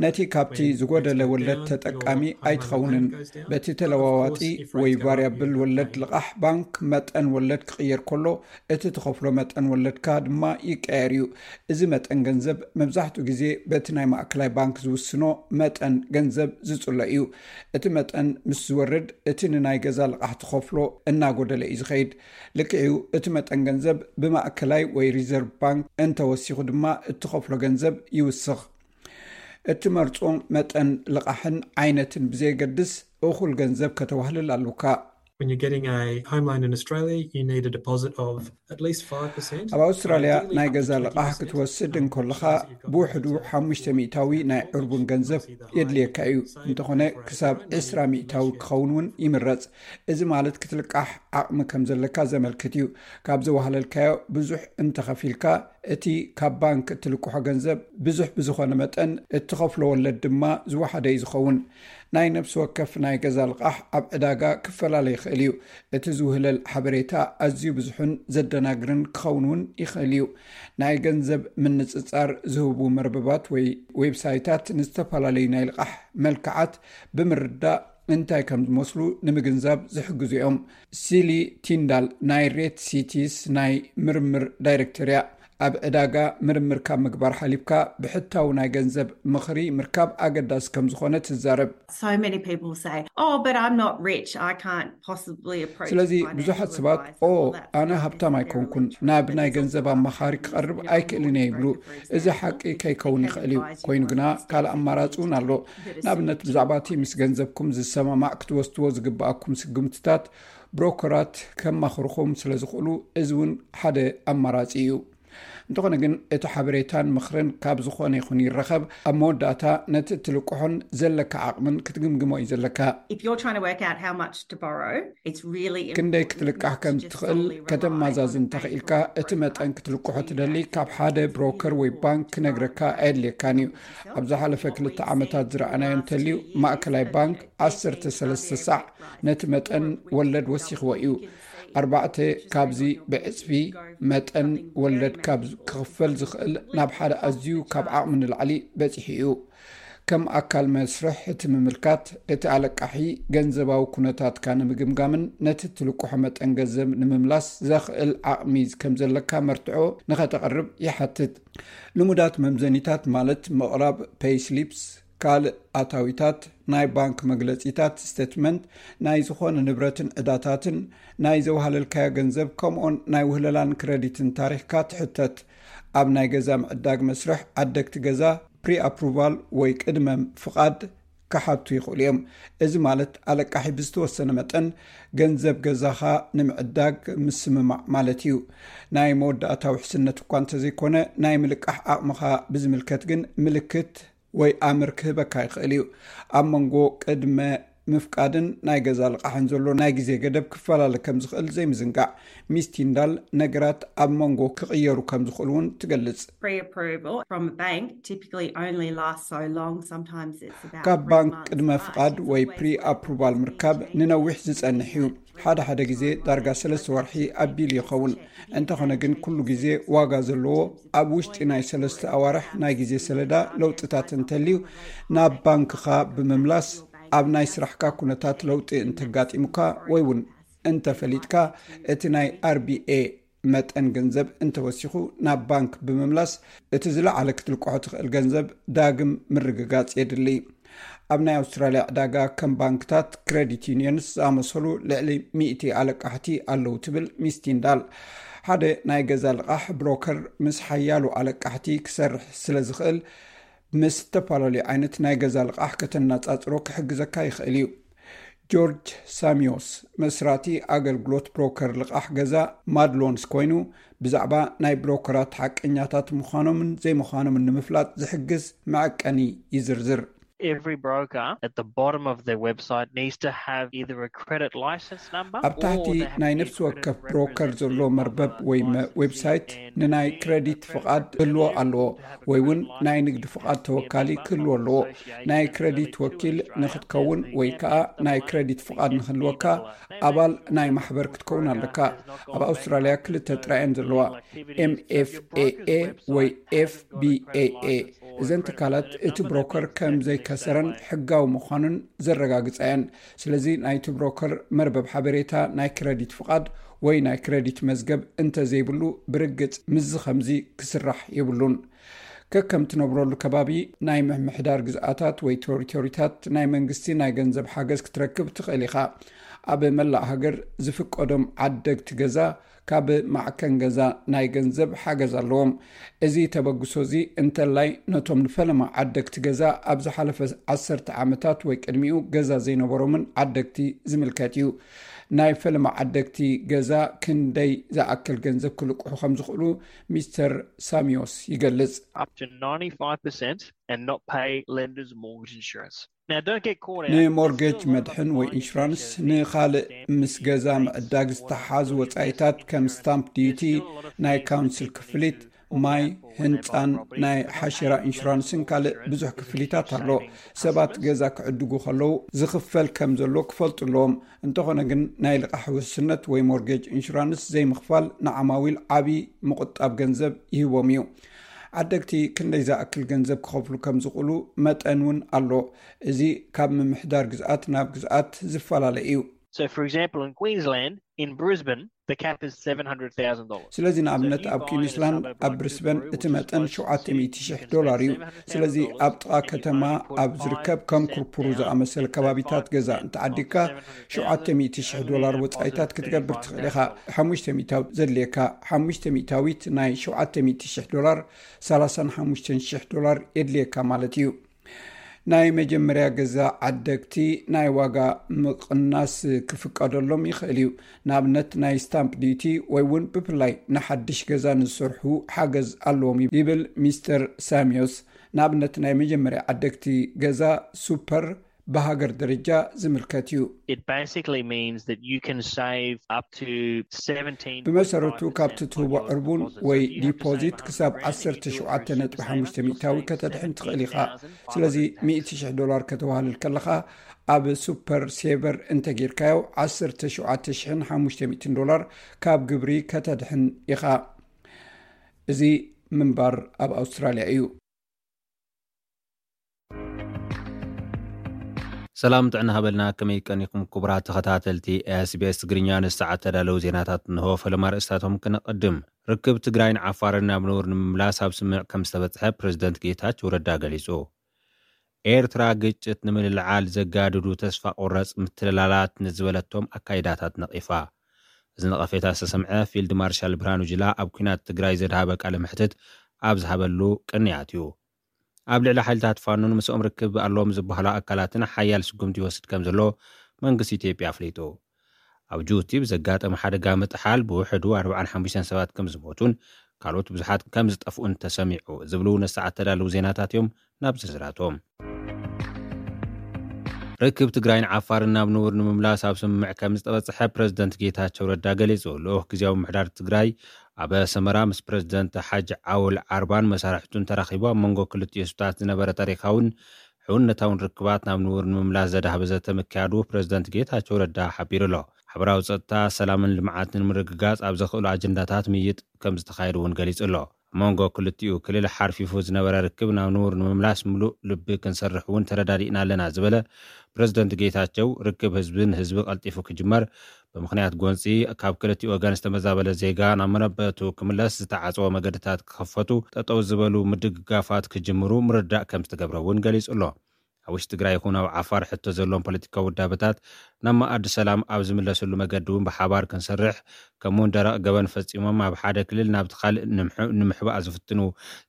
ነቲ ካብቲ ዝጎደለ ወለድ ተጠቃሚ ኣይትኸውንን። በቲ ተለዋዋጢ ወይ ቫርያብል ወለድ ልቓሕ ባንክ መጠን ወለድ ክቕየር ከሎ እቲ ትኸፍሎ መጠን ወለድካ ድማ ይቀየር እዩ። እዚ መጠን ገንዘብ መብዛሕትኡ ግዜ በቲ ናይ ማእከላይ ባንክ ዝውስኖ መጠን ገንዘብ ዝጽሎ እዩ። እቲ መጠን ምስ ዝወርድ እቲ ንናይ ገዛ ልቓሕ ትኸፍሎ እናጎደለ እዩ ዝኸይድ። ልክዕ እዩ፣ እቲ መጠን ገንዘብ ብማእከላይ ወይ ሪዘርቭ ባንክ እንተወሲኹ ድማ እትኸፍሎ ገንዘብ ይውስኽ። እትመርጾ መጠን ልቓሕን ዓይነትን ብዘየገድስ እኹል ገንዘብ ከተዋህልል ኣሉካ። When you're getting a home loan in Australia, you need a deposit of at least five percent. ኣብ ኣውስትራልያ ናይ ገዛ ልቓሕ ክትወስድ እንከለኻ ብውሕዱ ሓሙሽተ ሚእታዊ ናይ ዕርቡን ገንዘብ የድልየካ እዩ። እንተኾነ ክሳብ ዕስራ ሚእታዊ ክኸውን እውን ይምረጽ። እዚ ማለት ክትልቃሕ ዓቕሚ ከም ዘለካ ዘመልክት እዩ። ካብ ዘዋህለልካዮ ብዙሕ እንተኸፊልካ እቲ ካብ ባንክ እትልቅሖ ገንዘብ ብዙሕ ብዝኾነ መጠን እትኸፍሎ ወለድ ድማ ዝወሓደ እዩ ዝኸውን። ናይ ነፍሲ ወከፍ ናይ ገዛ ልቓሕ ኣብ ዕዳጋ ክፈላለ ይኽእል እዩ። እቲ ዝውህለል ሓበሬታ ኣዝዩ ብዙሕን ዘደናግርን ክኸውን እውን ይኽእል እዩ። ናይ ገንዘብ ምንጽጻር ዝህቡ መርበባት ወይ ዌብሳይታት ንዝተፈላለዩ ናይ ልቓሕ መልክዓት ብምርዳእ እንታይ ከም ዝመስሉ ንምግንዛብ ዝሕግዙ እዮም። ሲሊ ቲንዳል ናይ ሬት ሲቲስ ናይ ምርምር ዳይሬክተር እያ። ኣብ ዕዳጋ ምርምር ካብ ምግባር ሓሊፍካ ብሕታዊ ናይ ገንዘብ ምኽሪ ምርካብ ኣገዳሲ ከም ዝኾነ ትዛረብ። So many people say, "Oh, but I'm not rich. I can't possibly approach a ስለዚ financial ብዙሓት ሰባት advisor." ኦ Well, that's ኣነ not ሃብታም ኣይኮንኩን፣ necessarily true, ናብ but ናይ there's also ገንዘብ a ኣማኻሪ high ክቐርብ risk. If you're ኣይክእልን እየ going ይብሉ። to, for እዚ example, ሓቂ get ከይከውን an ይኽእል እዩ። advisor ኮይኑ ግና who's ካልእ ኣማራጺ እውን ኣሎ። ንኣብነት ብዛዕባ እቲ ምስ ገንዘብኩም ዝሰማማዕ ክትወስድዎ ዝግብኣኩም ስጉምትታት ብሮከራት ከማኽርኹም ስለ ዝኽእሉ፣ እዚ እውን ሓደ ኣማራጺ እዩ። እንተኾነ ግን እቲ ሓበሬታን ምኽርን ካብ ዝኾነ ይኹን ይረኸብ፣ ኣብ መወዳእታ ነቲ እትልቅሖን ዘለካ ዓቕምን ክትግምግሞ እዩ ዘለካ። If you're trying to work out how much to borrow, it's really ክንደይ ክትልቃሕ ከም ትኽእል ከተማዛዝን ተኽኢልካ፣ እቲ መጠን ክትልቅሖ ትደሊ ካብ ሓደ ብሮከር ወይ ባንክ ክነግረካ ኣየድልየካን እዩ። ኣብ ዝሓለፈ ክልተ ዓመታት ዝረኣናዮ እንተልዩ፣ ማእከላይ ባንክ ዓሰርተ ሰለስተ ሳዕ ነቲ መጠን ወለድ ወሲኽዎ እዩ። ኣርባዕተ ካብዚ ብዕጽፊ መጠን ወለድ ካብ ክኽፈል ዝኽእል ናብ ሓደ ኣዝዩ ካብ ዓቕሚ ንላዕሊ በጺሑ እዩ። ከም ኣካል መስርሕ እቲ ምምልካት፣ እቲ ኣለቃሒ ገንዘባዊ ኩነታትካ ንምግምጋምን ነቲ ትልቅሖ መጠን ገንዘብ ንምምላስ ዘኽእል ዓቕሚ ከም ዘለካ መርትዖ ንኸተቕርብ ይሓትት። ልሙዳት መምዘኒታት ማለት ምቕራብ ፔይስሊፕስ፣ ካልእ ኣታዊታት፣ ናይ ባንክ መግለጺታት፣ ስቴትመንት ናይ ዝኾነ ንብረትን ዕዳታትን፣ ናይ ዘውሃለልካዮ ገንዘብ፣ ከምኡን ናይ ውህለላን ክረዲትን ታሪኽካ ትሕተት። ኣብ ናይ ገዛ ምዕዳግ መስርሕ ዓደግቲ ገዛ ፕሪ ኣፕሩቫል ወይ ቅድመ ፍቓድ ክሓቱ ይኽእሉ እዮም። እዚ ማለት ኣለቃሒ ብዝተወሰነ መጠን ገንዘብ ገዛኻ ንምዕዳግ ምስምማዕ ማለት እዩ። ናይ መወዳእታ ውሕስነት እኳ እንተዘይኮነ፣ ናይ ምልቃሕ ዓቕምኻ ብዝምልከት ግን ምልክት ወይ ኣምር ክህበካ ይኽእል እዩ። ኣብ መንጎ ቅድመ ምፍቃድን ናይ ገዛ ልቃሕን ዘሎ ናይ ግዜ ገደብ ክፈላለ ከም ዝኽእል ዘይምዝንጋዕ። ሚስ ቲንዳል ነገራት ኣብ መንጎ ክቕየሩ ከም ዝኽእሉ እውን ትገልጽ። Pre-approval from a bank typically only lasts so long. Sometimes it's about ካብ three ባንክ months, ቅድመ but ፍቓድ it's ወይ always ፕሪ worth ኣፕሩቫል listening ምርካብ to ንነዊሕ ዝጸንሕ እዩ። ሓደ ሓደ ግዜ ዳርጋ ሰለስተ ወርሒ ኣቢሉ ይኸውን። እንተኾነ ግን ኩሉ ግዜ ዋጋ ዘለዎ፣ ኣብ ውሽጢ ናይ ሰለስተ ኣዋርሕ ናይ ግዜ ሰለዳ ለውጥታት እንተልዩ ናብ ባንክኻ ብምምላስ፣ ኣብ ናይ ስራሕካ ኩነታት ለውጢ እንተጋጢሙካ ወይ እውን እንተፈሊጥካ፣ እቲ ናይ ኣርቢኤ መጠን ገንዘብ እንተወሲኹ ናብ ባንክ ብምምላስ፣ እቲ ዝለዓለ ክትልቅሖ ትኽእል ገንዘብ ዳግም ምርግጋጽ የድሊ። ኣብ ናይ ኣውስትራልያ ዕዳጋ ከም ባንክታት፣ ክረዲት ዩኒየንስ ዝኣመሰሉ ልዕሊ ሚእቲ ኣለቃሕቲ ኣለዉ ትብል ሚስ ቲንዳል። ሓደ ናይ ገዛ ልቓሕ ብሮከር ምስ ሓያሉ ኣለቃሕቲ ክሰርሕ ስለ ዝኽእል፣ ምስ ዝተፈላለዩ ዓይነት ናይ ገዛ ልቓሕ ከተነጻጽሮ ክሕግዘካ ይኽእል እዩ። ጆርጅ ሳሚዮስ፣ መስራቲ ኣገልግሎት ብሮከር ልቓሕ ገዛ ማድሎንስ ኮይኑ፣ ብዛዕባ ናይ ብሮከራት ሓቀኛታት ምዃኖምን ዘይምዃኖምን ንምፍላጥ ዝሕግዝ መዐቀኒ ይዝርዝር። Every broker at the bottom of their website needs to have either a credit license number ኣብ ታሕቲ ናይ ነፍሲ ወከፍ ብሮከር ዘሎ መርበብ ወይ መ- ዌብሳይት ንናይ ክረዲት ፍቓድ ክህልዎ ኣለዎ፣ ወይ እውን ናይ ንግዲ ፍቓድ ተወካሊ ክህልዎ ኣለዎ። ናይ ክረዲት ወኪል ንክትከውን ወይ ከዓ ናይ ክረዲት ፍቓድ ንክህልወካ፣ ኣባል ናይ ማሕበር ክትከውን ኣለካ። ኣብ ኣውስትራልያ ክልተ ጥራይ እየን ዘለዋ፣ ኤምኤፍኤኤ ወይ ኤፍቢኤኤ። እዘን ትካላት እቲ ብሮከር ከም ዘይከሰረን ሕጋዊ ምዃኑን ዘረጋግጻ እየን። ስለዚ ናይቲ ብሮከር መርበብ ሓበሬታ ናይ ክረዲት ፍቓድ ወይ ናይ ክረዲት መዝገብ እንተዘይብሉ፣ ብርግጽ ምስዚ ከምዚ ክስራሕ የብሉን። ከከም ትነብረሉ ከባቢ ናይ ምምሕዳር ግዝኣታት ወይ ቴሪቶሪታት ናይ መንግስቲ ናይ ገንዘብ ሓገዝ ክትረክብ ትኽእል ኢኻ። ኣብ መላእ ሃገር ዝፍቀዶም ዓደግቲ ገዛ ካብ ማዕከን ገዛ ናይ ገንዘብ ሓገዝ ኣለዎም። እዚ ተበግሶ እዚ እንተላይ ነቶም ንፈለማ ዓደግቲ ገዛ ኣብ ዝሓለፈ ዓሰርተ ዓመታት ወይ ቅድሚኡ ገዛ ዘይነበሮምን ዓደግቲ ዝምልከት እዩ። ናይ ፈለማ ዓደግቲ ገዛ ክንደይ ዝኣክል ገንዘብ ክልቅሑ ከም ዝኽእሉ ሚስተር ሳሚዮስ ይገልጽ። Up to ninety-five percent and not pay lenders mortgage insurance. Now, don't get caught out. ንሞርጌጅ መድሕን ወይ ኢንሹራንስ፣ ንኻልእ ምስ ገዛ ምዕዳግ ዝተሓሓዙ ወጻኢታት ከም ስታምፕ ዲዩቲ፣ ናይ ካውንስል ክፍሊት፣ ማይ፣ ህንጻን ናይ ሓሽራ ኢንሹራንስን ካልእ ብዙሕ ክፍሊታት ኣሎ። ሰባት ገዛ ክዕድጉ ከለዉ ዝኽፈል ከም ዘሎ ክፈልጡ ኣለዎም። እንተኾነ ግን ናይ ልቓሕ ውሕስነት ወይ ሞርጌጅ ኢንሹራንስ ዘይምኽፋል ንዓማዊል ዓቢ ምቑጣብ ገንዘብ ይህቦም እዩ። ዓደግቲ ክንደይ ዝኣክል ገንዘብ ክኸፍሉ ከም ዝኽእሉ መጠን እውን ኣሎ። እዚ ካብ ምምሕዳር ግዝኣት ናብ ግዝኣት ዝፈላለ እዩ። So, for example, in Queensland, in Brisbane, the cap is seven hundred thousand dollars. ስለዚ ንኣብነት ኣብ ኲንስላንድ ኣብ ብሪስበን እቲ መጠን ሸውዓተ ሚእቲ ሽሕ ዶላር እዩ። ስለዚ ኣብ ጥቓ ከተማ ኣብ ዝርከብ ከም ኩርኩሩ ዝኣመሰለ ከባቢታት ገዛ እንተዓዲግካ ሸውዓተ ሚእቲ ሽሕ ዶላር ወጻኢታት ክትገብር ትኽእል ኢኻ። ሓሙሽተ ሚእታዊት ዘድልየካ፣ ሓሙሽተ ሚእታዊት ናይ ሸውዓተ ሚእቲ ሽሕ ዶላር፣ ሰላሳን ሓሙሽተን ሽሕ ዶላር የድልየካ ማለት እዩ። ናይ መጀመርያ ገዛ ዓደግቲ ናይ ዋጋ ምቕናስ ክፍቀደሎም ይኽእል እዩ። ንኣብነት ናይ ስታምፕ ዲቲ ወይ እውን ብፍላይ ንሓድሽ ገዛ ንዝሰርሑ ሓገዝ ኣለዎም ይብል ሚስተር ሳሚዮስ። ንኣብነት ናይ መጀመርያ ዓደግቲ ገዛ ሱፐር ብሃገር ደረጃ ዝምልከት እዩ። It basically means that you can save up to seventeen. ብመሰረቱ ካብቲ ትህቦ ዕርቡን ወይ ዲፖዚት ክሳብ ዓሰርተ ሸውዓተ ነጥቢ ሓሙሽተ ሚእታዊ ከተድሕን ትኽእል ኢኻ። ስለዚ ሚእቲ ሽሕ ዶላር ከተዋህልል ከለኻ ኣብ ሱፐር ሴቨር እንተጌርካዮ ዓሰርተ ሸውዓተ ሽሕን ሓሙሽተ ሚእትን ዶላር ካብ ግብሪ ከተድሕን ኢኻ። እዚ ምንባር ኣብ ኣውስትራልያ እዩ። ሰላም ጥዕና ሃበልና፣ ከመይ ቀኒኹም ክቡራት ተኸታተልቲ SBS ትግርኛ? ንሰዓት ተዳለዉ ዜናታት እንሆ። ፈለማ ርእስታቶም ክነቐድም። ርክብ ትግራይን ዓፋርን ናብ ንቡር ንምምላስ ኣብ ስምምዕ ከም ዝተበጽሐ ፕሬዝደንት ጌታቸው ረዳ ገሊጹ። ኤርትራ ግጭት ንምልዕዓል ዘጋድዱ ተስፋ ቆረጽ ምትልላላት ንዝበለቶም ኣካይዳታት ነቒፋ። እዚ ነቐፌታ ዝተሰምዐ ፊልድ ማርሻል ብርሃኑ ጅላ ኣብ ኲናት ትግራይ ዘድሃበ ቃለ መሕትት ኣብ ዝሃበሉ ቅንያት እዩ። ኣብ ልዕሊ ሓይልታት ፋኖን ምስኦም ርክብ ኣለዎም ዝበሃሉ ኣካላትን ሓያል ስጉምቲ ይወስድ ከም ዘሎ መንግስቲ ኢትዮጵያ ኣፍሊጡ። ኣብ ጅቡቲ ብዘጋጠመ ሓደጋ ምጥሓል ብውሕዱ ኣርባዓን ሓሙሽተን ሰባት ከም ዝሞቱን ካልኦት ብዙሓት ከም ዝጠፍኡን ተሰሚዑ ዝብሉ ነሰዓት ተዳለዉ ዜናታት እዮም። ናብ ዝርዝራቶም። ርክብ ትግራይን ዓፋርን ናብ ንቡር ንምምላስ ኣብ ስምምዕ ከም ዝተበጽሐ ፕሬዝደንት ጌታቸው ረዳ ገሊጹ። ልኡኽ ግዜያዊ ምምሕዳር ትግራይ ኣብ ኣሰመራ ምስ ፕሬዝደንት ሓጅ ዓውል ዓርባን መሳርሕቱን ተራኺቡ ኣብ መንጎ ክልቲኡ ህዝብታት ዝነበረ ታሪኻውን ሕውነታውን ርክባት ናብ ንቡር ንምምላስ ዘድሃበ ዘተ ምክያዱ ፕሬዝደንት ጌታቸው ረዳ ሓቢሩ ኣሎ። ሓበራዊ ጸጥታ፣ ሰላምን ልምዓትን ንምርግጋጽ ኣብ ዘኽእሉ ኣጀንዳታት ምይይጥ ከም ዝተኻየደ እውን ገሊጹ ኣሎ። ኣብ መንጎ ክልቲኡ ክልል ሓርፊፉ ዝነበረ ርክብ ናብ ንቡር ንምምላስ ምሉእ ልቢ ክንሰርሕ እውን ተረዳዲእና ኣለና ዝበለ ፕሬዝደንት ጌታቸው፣ ርክብ ህዝቢ ንህዝቢ ቀልጢፉ ክጅመር፣ ብምኽንያት ጎንፂ ካብ ክልቲኡ ወገን ዝተመዛበለ ዜጋ ናብ መረበቱ ክምለስ ዝተዓፀወ መገድታት ክኸፈቱ፣ ጠጠው ዝበሉ ምድግጋፋት ክጅምሩ ምርዳእ ከም ዝተገብረ እውን ገሊፁ ኣሎ። ኣብ ውሽጢ ትግራይ ይኹን ኣብ ዓፋር ሕቶ ዘለዎም ፖለቲካዊ ውዳበታት ናብ መኣዲ ሰላም ኣብ ዝምለስሉ መገዲ እውን ብሓባር ክንሰርሕ፣ ከምኡውን ደረቕ ገበን ፈፂሞም ኣብ ሓደ ክልል ናብቲ ካልእ ንምሕ- ንምሕባእ ዝፍትኑ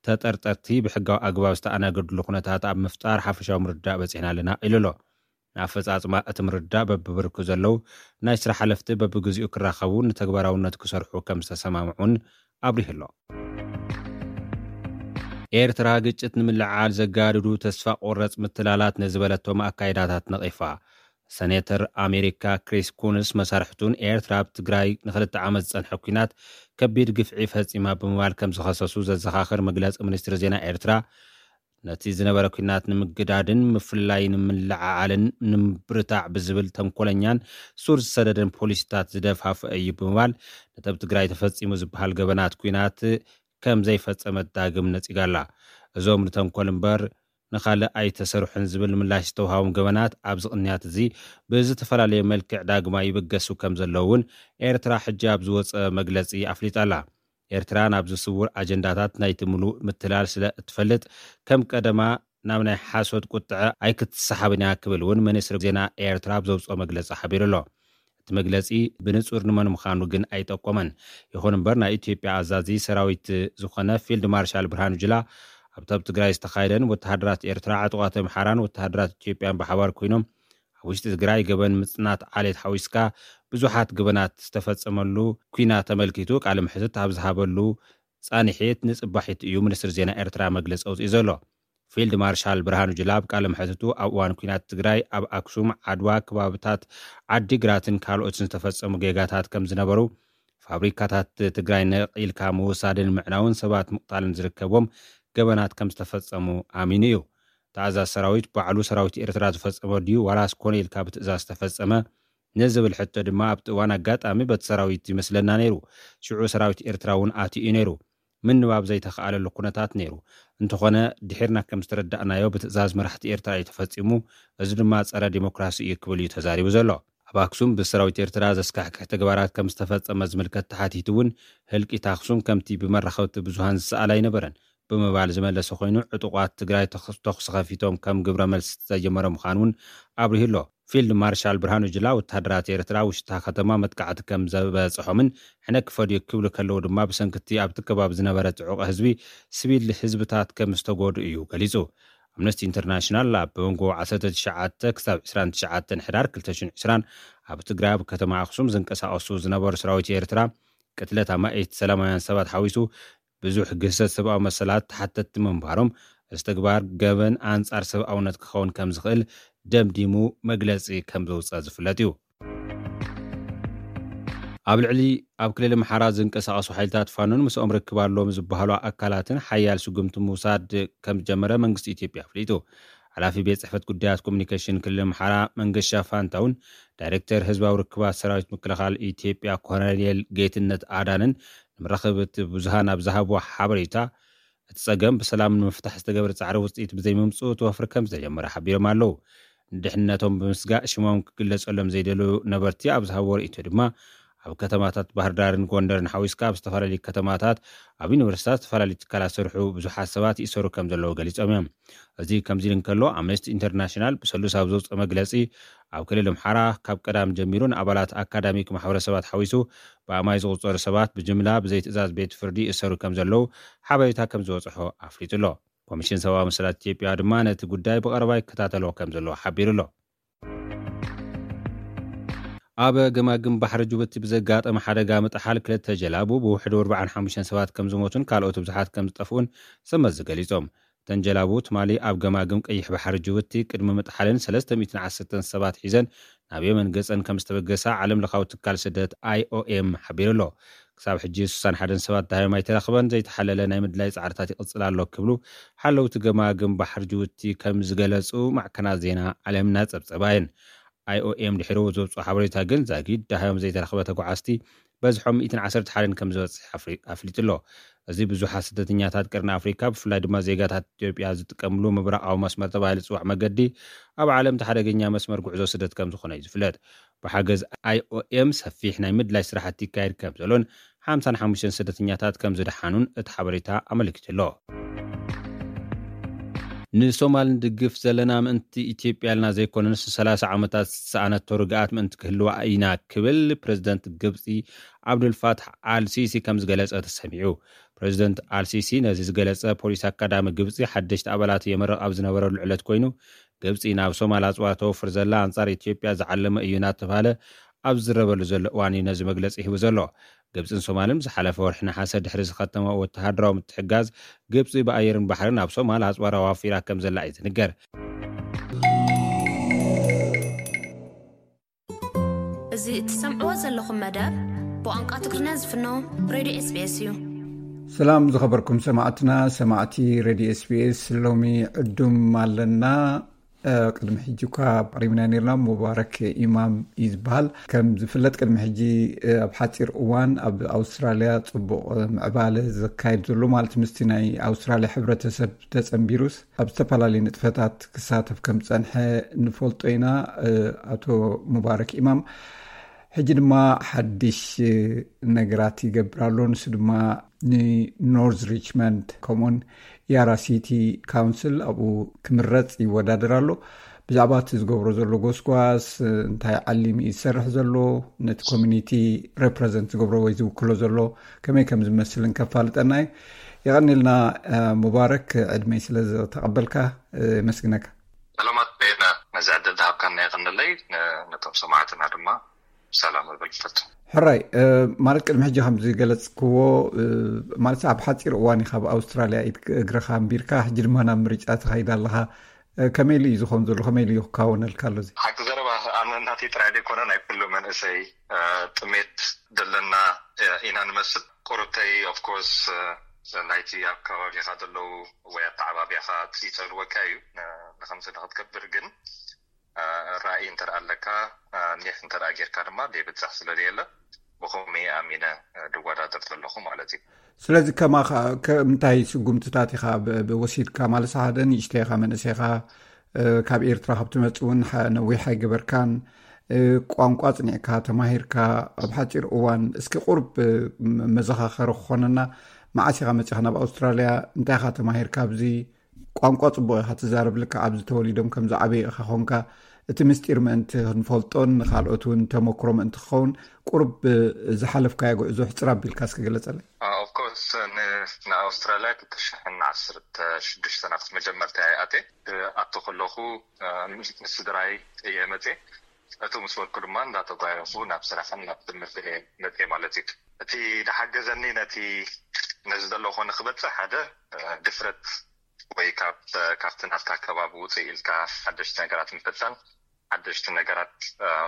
ተጠርጠርቲ ብሕጋዊ ኣግባብ ዝተኣናገድሉ ኩነታት ኣብ ምፍጣር ሓፈሻዊ ምርዳእ በፂሕና ኣለና ኢሉ ኣሎ። ንኣፈፃፅማ እቲ ምርዳእ በብብርኩ ዘለዉ ናይ ስራሕ ሓለፍቲ በብግዚኡ ክራኸቡ፣ ንተግባራውነት ክሰርሑ ከም ዝተሰማምዑን ኣብሪሁ ኣሎ። ኤርትራ ግጭት ንምልዓል ዘጋድዱ ተስፋ ቆረፅ ምትላላት ንዝበለቶም ኣካይዳታት ነቒፋ። ሰኔተር ኣሜሪካ ክሪስ ኩንስ መሳርሕቱን ኤርትራ ኣብ ትግራይ ንክልተ ዓመት ዝፀንሐ ኲናት ከቢድ ግፍዒ ፈፂማ ብምባል ከም ዝኸሰሱ ዘዘኻኽር መግለፂ ሚኒስትሪ ዜና ኤርትራ፣ ነቲ ዝነበረ ኲናት ንምግዳድን ምፍልላይ ንምልዓዓልን ንምብርታዕ ብዝብል ተንኮለኛን ሱር ዝሰደደን ፖሊሲታት ዝደፋፍአ እዩ ብምባል፣ ነቲ ኣብ ትግራይ ተፈፂሙ ዝበሃል ገበናት ኲናት ከም ዘይፈጸመት ዳግም ነጺጋ ኣላ። እዞም ንተንኮል እምበር ንኻልእ ኣይተሰርሑን ዝብል ምላሽ ዝተውሃቦም ገበናት ኣብዚ ቅንያት እዚ ብዝተፈላለየ መልክዕ ዳግማይ ይብገሱ ከም ዘለዉ እውን ኤርትራ ሕጂ ኣብ ዝወጸ መግለጺ ኣፍሊጣ ኣላ። ኤርትራ ናብዚ ስውር ኣጀንዳታት ናይቲ ምሉእ ምትላል ስለ እትፈልጥ፣ ከም ቀደማ ናብ ናይ ሓሶት ቁጥዐ ኣይክትሰሓብን እያ ክብል እውን ሚኒስትሪ ዜና ኤርትራ ኣብ ዘውፅኦ መግለፂ ሓቢሩ ኣሎ። እቲ መግለፂ ብንፁር ንመን ምዃኑ ግን ኣይጠቆመን። ይኹን እምበር ናይ ኢትዮጵያ ኣዛዚ ሰራዊት ዝኾነ ፊልድ ማርሻል ብርሃኑ ጁላ ኣብቲ ኣብ ትግራይ ዝተኻየደን ወተሃደራት ኤርትራ፣ ዕጡቓት ኣምሓራን ወተሃደራት ኢትዮጵያን ብሓባር ኮይኖም ኣብ ውሽጢ ትግራይ ገበን ምፅናት ዓሌት ሓዊስካ ብዙሓት ገበናት ዝተፈፀመሉ ኲናት ተመልኪቱ ቃለ መሕትት ኣብ ዝሃበሉ ፃንሒት ንፅባሒት እዩ ሚኒስትሪ ዜና ኤርትራ መግለፂ ኣውፂኡ ዘሎ። ፊልድ ማርሻል ብርሃኑ ጁላ ኣብ ቃለ መሕትቱ ኣብ እዋን ኲናት ትግራይ ኣብ ኣክሱም፣ ዓድዋ፣ ከባብታት ዓዲግራትን ካልኦትን ዝተፈፀሙ ጌጋታት ከም ዝነበሩ፣ ፋብሪካታት ትግራይ ነቒልካ ምውሳድን ምዕናውን ሰባት ምቕታልን ዝርከቦም ገበናት ከም ዝተፈፀሙ ኣሚኑ እዩ። ተኣዛዝ ሰራዊት ባዕሉ ሰራዊት ኤርትራ ዝፈፀሞ ድዩ ዋላስ ኮነ ኢልካ ብትእዛዝ ዝተፈፀመ ንዝብል ሕቶ ድማ ኣብቲ እዋን ኣጋጣሚ በቲ ሰራዊት ይመስለና ነይሩ። ሽዑ ሰራዊት ኤርትራ እውን ኣትዩ እዩ ነይሩ። ምንባብ ዘይተኸኣለሉ ኩነታት ነይሩ። እንተኾነ ድሒርና ከም ዝተረዳእናዮ ብትእዛዝ መራሕቲ ኤርትራ እዩ ተፈጺሙ፣ እዚ ድማ ጸረ ዲሞክራሲ እዩ ክብል እዩ ተዛሪቡ ዘሎ። ኣብ ኣክሱም ብሰራዊት ኤርትራ ዘስካሕክሕ ተግባራት ከም ዝተፈጸመ ዝምልከት ተሓቲቱ እውን ህልቂት ኣክሱም ከምቲ ብመራኸብቲ ብዙሃን ዝሰኣል ኣይነበረን ብምባል ዝመለሰ ኮይኑ ዕጡቋት ትግራይ ተኽ- ተኹሲ ከፊቶም ከም ግብረ መልሲ ዝተጀመረ ምዃኑ እውን ኣብሪሁ ኣሎ። ፊልድ ማርሻል ብርሃኑ ጁላ ወተሃደራት ኤርትራ ውሽጣ ከተማ መጥቃዕቲ ከም ዘበፅሖምን ሕነ ክፈድዩ ክብሉ ከለዉ ድማ ብሰንክቲ ኣብቲ ከባቢ ዝነበረ ፅዑቕ ህዝቢ ስቪል ህዝብታት ከም ዝተጎዱ እዩ ገሊፁ። ኣምነስቲ ኢንተርናሽናል ኣብ መንጎ ዓሰርተ ትሽዓተ ክሳብ ዕስራን ትሽዓተን ሕዳር ክልተ ሽሕን ዕስራን ኣብ ትግራይ ኣብ ከተማ ኣክሱም ዝንቀሳቐሱ ዝነበሩ ሰራዊት ኤርትራ ቅትለት ኣማኢት ሰላማውያን ሰባት ሓዊሱ ብዙሕ ግህሰት ሰብኣዊ መሰላት ተሓተትቲ ምንባሮም፣ እዚ ተግባር ገበን ኣንጻር ሰብኣውነት ክኸውን ከም ዝኽእል ደምዲሙ መግለጺ ከም ዘውፅኣ ዝፍለጥ እዩ። ኣብ ልዕሊ ኣብ ክልል ኣምሓራ ዝንቀሳቐሱ ሓይልታት ፋኖን ምስኦም ርክብ ኣለዎም ዝበሃሉ ኣካላትን ሓያል ስጉምቲ ምውሳድ ከም ዝጀመረ መንግስቲ ኢትዮጵያ ኣፍሊጡ። ሓላፊ ቤት ጽሕፈት ጉዳያት ኮሚኒኬሽን ክልል ኣምሓራ መንገሻ ፋንታውን ዳይሬክተር ህዝባዊ ርክባት ሰራዊት ምክልኻል ኢትዮጵያ ኮሎኔል ጌትነት ኣዳንን ንምራኸብቲ ብዙሃን ኣብ ዝሃብዎ ሓበሬታ፣ እቲ ጸገም ብሰላም ንምፍታሕ ዝተገብረ ጻዕሪ ውጽኢት ብዘይምምጽኡ እቲ ወፍሪ ከም ዝተጀመረ ሓቢሮም ኣለዉ። ንድሕነቶም ብምስጋእ ሽሞም ክግለጸሎም ዘይደለዩ ነበርቲ ኣብ ዝሃብዎ ርእይቶ ድማ፣ ኣብ ከተማታት ባህር ዳርን ጎንደርን ሓዊስካ ኣብ ዝተፈላለዩ ከተማታት፣ ኣብ ዩኒቨርሲታት፣ ዝተፈላለዩ ትካላት ዝሰርሑ ብዙሓት ሰባት ይእሰሩ ከም ዘለዉ ገሊጾም እዮም። እዚ ከምዚ ኢሉ እንከሎ፣ ኣምነስቲ ኢንተርናሽናል ብሰሉስ ኣብ ዘውፅኦ መግለጺ፣ ኣብ ክልል ኣምሓራ ካብ ቀዳም ጀሚሩ ንኣባላት ኣካዳሚክ ማሕበረሰባት ሓዊሱ ብኣማይ ዝቑጸሩ ሰባት ብጅምላ ብዘይ ትእዛዝ ቤት ፍርዲ ይእሰሩ ከም ዘለዉ ሓበሬታ ከም ዝበጽሖ ኣፍሊጡ ኣሎ። ኮሚሽን ሰብኣዊ መሰላት ኢትዮጵያ ድማ ነቲ ጉዳይ ብቐረባ ይከታተሎ ከም ዘለዎ ሓቢሩ ኣሎ። ኣብ ገማግም ባሕሪ ጅቡቲ ብዘጋጠመ ሓደጋ ምጥሓል ክልተ ጀላቡ ብውሕዱ ኣርባዓን ሓሙሽተን ሰባት ከም ዝሞቱን ካልኦት ብዙሓት ከም ዝጠፍኡን ሰመዚ ገሊጾም። እተን ጀላቡ ትማሊ ኣብ ገማግም ቀይሕ ባሕሪ ጅቡቲ ቅድሚ ምጥሓለን ሰለስተ ሚእትን ዓሰርተን ሰባት ሒዘን ናብ የመን ገጸን ከም ዝተበገሳ ዓለም ለኻዊ ትካል ስደት ኣይ ኦ ኤም ሓቢሩ ኣሎ። ክሳብ ሕጂ ስሳን ሓደን ሰባት ደሃዮም ኣይተረኽበን፣ ዘይተሓለለ ናይ ምድላይ ጻዕርታት ይቕጽል ኣሎ ክብሉ ሓለውቲ ገማግም ባሕሪ ጅቡቲ ከም ዝገለጹ ማዕከናት ዜና ዓለምና ጸብጸባ እየን። ኣይ ኦ ኤም ድሕሪ ዘውፅኦ ሓበሬታ ግን ዛጊድ ደሃዮም ዘይተረኽበ ተጓዓዝቲ በዝሖም ሚእትን ዓሰርተ ሓደን ከም ዝበፅሕ ኣፍሪ-፣ ኣፍሊጡ ኣሎ። እዚ ብዙሓት ስደተኛታት ቀርኒ ኣፍሪካ ብፍላይ ድማ ዜጋታት ኢትዮጵያ ዝጥቀምሉ ምብራቓዊ መስመር ተባሂሉ ዝፅዋዕ መገዲ ኣብ ዓለም እቲ ሓደገኛ መስመር ጉዕዞ ስደት ከም ዝኾነ እዩ ዝፍለጥ። ብሓገዝ ኣይ ኦ ኤም ሰፊሕ ናይ ምድላይ ስራሕቲ ይካየድ ከም ዘሎን ሓምሳን ሓሙሽተን ስደተኛታት ከም ዝደሓኑን እቲ ሓበሬታ ኣመልኪቱ ኣሎ። ንሶማል ንድግፍ ዘለና ምእንቲ ኢትዮጵያ ኢልና ዘይኮነስ ሰላሳ ዓመታት ዝሰኣነቶ ርግኣት ምእንቲ ክህልዋ ኢና ክብል ፕረዚደንት ግብፂ ዓብዱልፋትሕ ኣልሲሲ ከም ዝገለጸ ተሰሚዑ። ፕረዚደንት ኣልሲሲ ነዚ ዝገለጸ ፖሊስ ኣካዳሚ ግብፂ ሓደሽቲ ኣባላት የመርቕ ኣብ ዝነበረሉ ዕለት ኮይኑ፣ ግብፂ ናብ ሶማል ኣፅዋር ተወፍር ዘላ ኣንጻር ኢትዮጵያ ዝዓለመ እዩ እናተባህለ ኣብ ዝዝረበሉ ዘሎ እዋን እዩ ነዚ መግለፂ ሂቡ ዘሎ። ግብፅን ሶማልን ዝሓለፈ ወርሒ ነሓሰ ድሕሪ ዝኸተመ ወተሃደራዊ ምትሕጋዝ፣ ግብፂ ብኣየርን ባሕርን ኣብ ሶማል ኣፅዋር ኣዋፊራ ከም ዘላ እዩ ዝንገር። እዚ እትሰምዕዎ ዘለኹም መደብ ብቋንቋ ትግርኛ ዝፍኖ ሬድዮ ኤስ ቢ ኤስ እዩ። ሰላም ዝኸበርኩም ሰማዕትና፣ ሰማዕቲ ሬድዮ ኤስ ቢ ኤስ፣ ሎሚ ዕዱም ኣለና። እ፣ ቅድሚ ሕጂ እኳ ኣቕሪብና ነርና። ሙባረክ ኢማም እዩ ዝበሃል። ከም ዝፍለጥ ቅድሚ ሕጂ፣ እ፣ ኣብ ሓፂር እዋን ኣብ ኣውስትራልያ ፅቡቕ ምዕባለ ዘካየድ ዘሎ፣ ማለት ምስቲ ናይ ኣውስትራልያ ሕብረተሰብ ተፀንቢሩስ ኣብ ዝተፈላለዩ ንጥፈታት ክሳተፍ ከም ዝፀንሐ ንፈልጦ ኢና። እ፣ ኣቶ ሙባረክ ኢማም ሕጂ ድማ ሓድሽ፣ እ፣ ነገራት ይገብር ኣሎ። ንሱ ድማ ንኖርዝ ሪችመንድ ከምኡውን ያራ ሲቲ ካውንስል ኣብኡ ክምረፅ ይወዳደር ኣሎ። ብዛዕባ እቲ ዝገብሮ ዘሎ ጎስጓስ፣ እንታይ ዓሊም እዩ ዝሰርሕ ዘሎ፣ ነቲ ኮሚኒቲ ሬፕረዘንት ዝገብሮ ወይ ዝውክሎ ዘሎ ከመይ ከም ዝመስልን ከፋልጠና እዩ። የቐኒልና፣ እ፣ ሙባረክ፣ ዕድመይ ስለ ዝተቐበልካ፣ እ፣ የመስግነካ። ሰላማት በየነ፣ ነዚ ዕድል ዝሃብካና የቐንለይ። ነ-፣ ነቶም ሰማዕትና ድማ ሰላም እብል ፈቱ። ሕራይ፣ እ፣ ማለት ቅድሚ ሕጂ ከም ዝገለጽክዎ፣ እ፣ ማለት ኣብ ሓጺር እዋን ኢኻ ኣብ ኣውስትራልያ ኢድ እግርኻ ኣንቢርካ፣ ሕጂ ድማ ናብ ምርጫ ትኸይድ ኣለኻ። እ፣ ከመይ ኢሉ እዩ ዝኾን ዘሎ? ከመይ ኢሉ እዩ ክካወነልካ ኣሎ እዚ? ሓቂ ዘረባ፣ ኣነ ናተይ ጥራይ ዘይኮነ ናይ ኩሉ መንእሰይ፣ እ፣ ጥሜት ዘለና፣ እ፣ ኢና ንመስል። ቁሩብተይ ኦፍኮርስ፣ እ፣ ናይቲ ኣብ ከባቢኻ ዘለዉ ወይ ኣተዓባቢያኻ ይጸልወካ እዩ፣ ን-፣ ንኸምዚ ንኽትገብር። ግን እ፣ ራእይ እንተ ደኣ ኣለካ፣ እ፣ ኒሕ እንተ ደኣ ጌርካ ድማ ዘይብጻሕ ስለ ዘየለ፣ ብኸምኡ ኣሚነ፣ እ፣ ድወዳደር ዘለኹ ማለት እዩ። ስለዚ ከማኻ ከ-፣ እንታይ ስጉምትታት ኢኻ ብ-፣ ብ-፣ ወሲድካ? ማለት ሓደ ንእሽተይ ኢኻ፣ መንእሰይ ኢኻ፣ እ፣ ካብ ኤርትራ ካብ ትመጽእ እውን ሓ-፣ ነዊሕ ኣይገበርካን። እ፣ ቋንቋ ጽኒዕካ ተማሂርካ ኣብ ሓጺር እዋን፣ እስኪ ቁሩብ፣ እ፣ መ-፣ መዘኻኸሪ ክኾነና፣ መዓስ ኢኻ መጺኻ ናብ ኣውስትራልያ? እንታይ ኢኻ ተማሂርካ ኣብዚ? ቋንቋ ጽቡቕ ኢኻ ትዛረብ፣ ልክዕ ኣብዚ ተወሊዶም ከም ዝዓበዩ ኢኻ ኾንካ። እቲ ምስጢር ምእንቲ ክንፈልጦን ንኻልኦት እውን ተመክሮ ምእንቲ ክኸውን፣ ቁሩብ ዝሓለፍካዮ ጉዕዞ ሕጽር ኣቢልካ እስኪ ግለጸለይ። ኦፍኮርስ፣ ንኣውስትራልያ ክልተ ሽሕን ዓሰርተ ሽዱሽተ ኣብቲ መጀመርታ ይኣተ ኣብቲ ከለኹ ምስ ስድራይ እየ መፅእ። እቱ ምስ በልኩ ድማ እንዳተጓየኹ ናብ ስራሕን ናብ ትምህርቲ እየ መፅእ ማለት እዩ። እቲ ዝሓገዘኒ ነቲ ነዚ ዘለኹ ንክበፅሕ ሓደ ድፍረት ወይ ካብቲ ናትካ ከባቢ ውፅእ ኢልካ ሓደሽቲ ነገራት ምፍታን፣ ሓደሽቲ ነገራት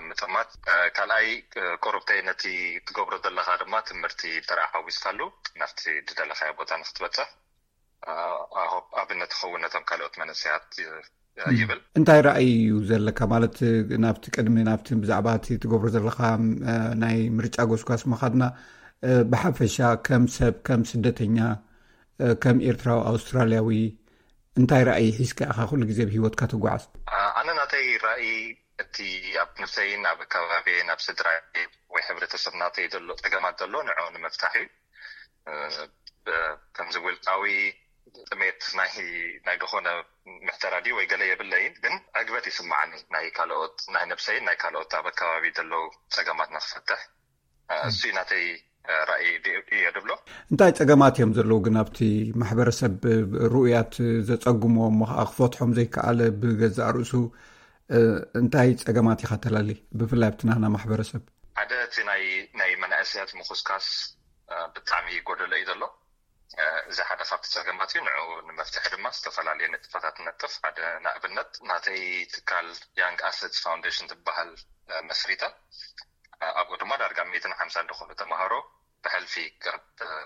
ምጥማት። ካልኣይ ቁሩብተይ ነቲ ትገብሮ ዘለካ ድማ ትምህርቲ ጥራይ ሓዊስካሉ ናብቲ ዝደለካዮ ቦታ ንክትበፅሕ ኣብነት ይኸውን ነቶም ካልኦት መንእሰያት ይብል። እንታይ ራእይ እዩ ዘለካ ማለት ናብቲ ቅድሚ ናብቲ ብዛዕባ እቲ ትገብሮ ዘለካ ናይ ምርጫ ጎስጓስ ምኻድና ብሓፈሻ ከም ሰብ ከም ስደተኛ ከም ኤርትራዊ ኣውስትራልያዊ እንታይ ራእይ ሒዝካ ኢኻ ኩሉ ግዜ ብህይወትካ ትጓዓዝ? ኣነ ናተይ ራእይ እቲ ኣብ ነብሰይን ኣብ ከባቢየን ኣብ ስድራይ ወይ ሕብረተሰብ ናተይ ዘሎ ፀገማት ዘሎ ንዕኡ ንምፍታሕ እዩ። ከምዚ ውልቃዊ ጥሜት ናይ ናይ ዝኾነ ምሕተራ ድዩ ወይ ገለ የብለይን፣ ግን ዕግበት ይስማዓኒ ናይ ካልኦት ናይ ነብሰይን ናይ ካልኦት ኣብ ኣከባቢ ዘለዉ ፀገማት ንክፈትሕ እሱ ናተይ ራእይ እየ ድብሎ። እንታይ ፀገማት እዮም ዘለዉ ግን ኣብቲ ማሕበረሰብ ርኡያት ዘፀግሞ እሞ ከዓ ክፈትሖም ዘይከኣለ ብገዛእ ርእሱ እንታይ ፀገማት ኢኻ ተላሊ ብፍላይ ኣብቲ ናህና ማሕበረሰብ? ሓደ እቲ ናይ ናይ መናእሰያት ምኹስካስ ብጣዕሚ ጎደሎ እዩ ዘሎ። እዚ ሓደ ካብቲ ፀገማት እዩ። ንዕኡ ንመፍትሒ ድማ ዝተፈላለዩ ንጥፈታት ነጥፍ። ሓደ ንኣብነት ናተይ ትካል ያንግ ኣሰትስ ፋውንዴሽን ትበሃል መስሪተ ኣብኡ ድማ ዳርጋ ሚእትን ሓምሳን ዝኾኑ ተምሃሮ ብሕልፊ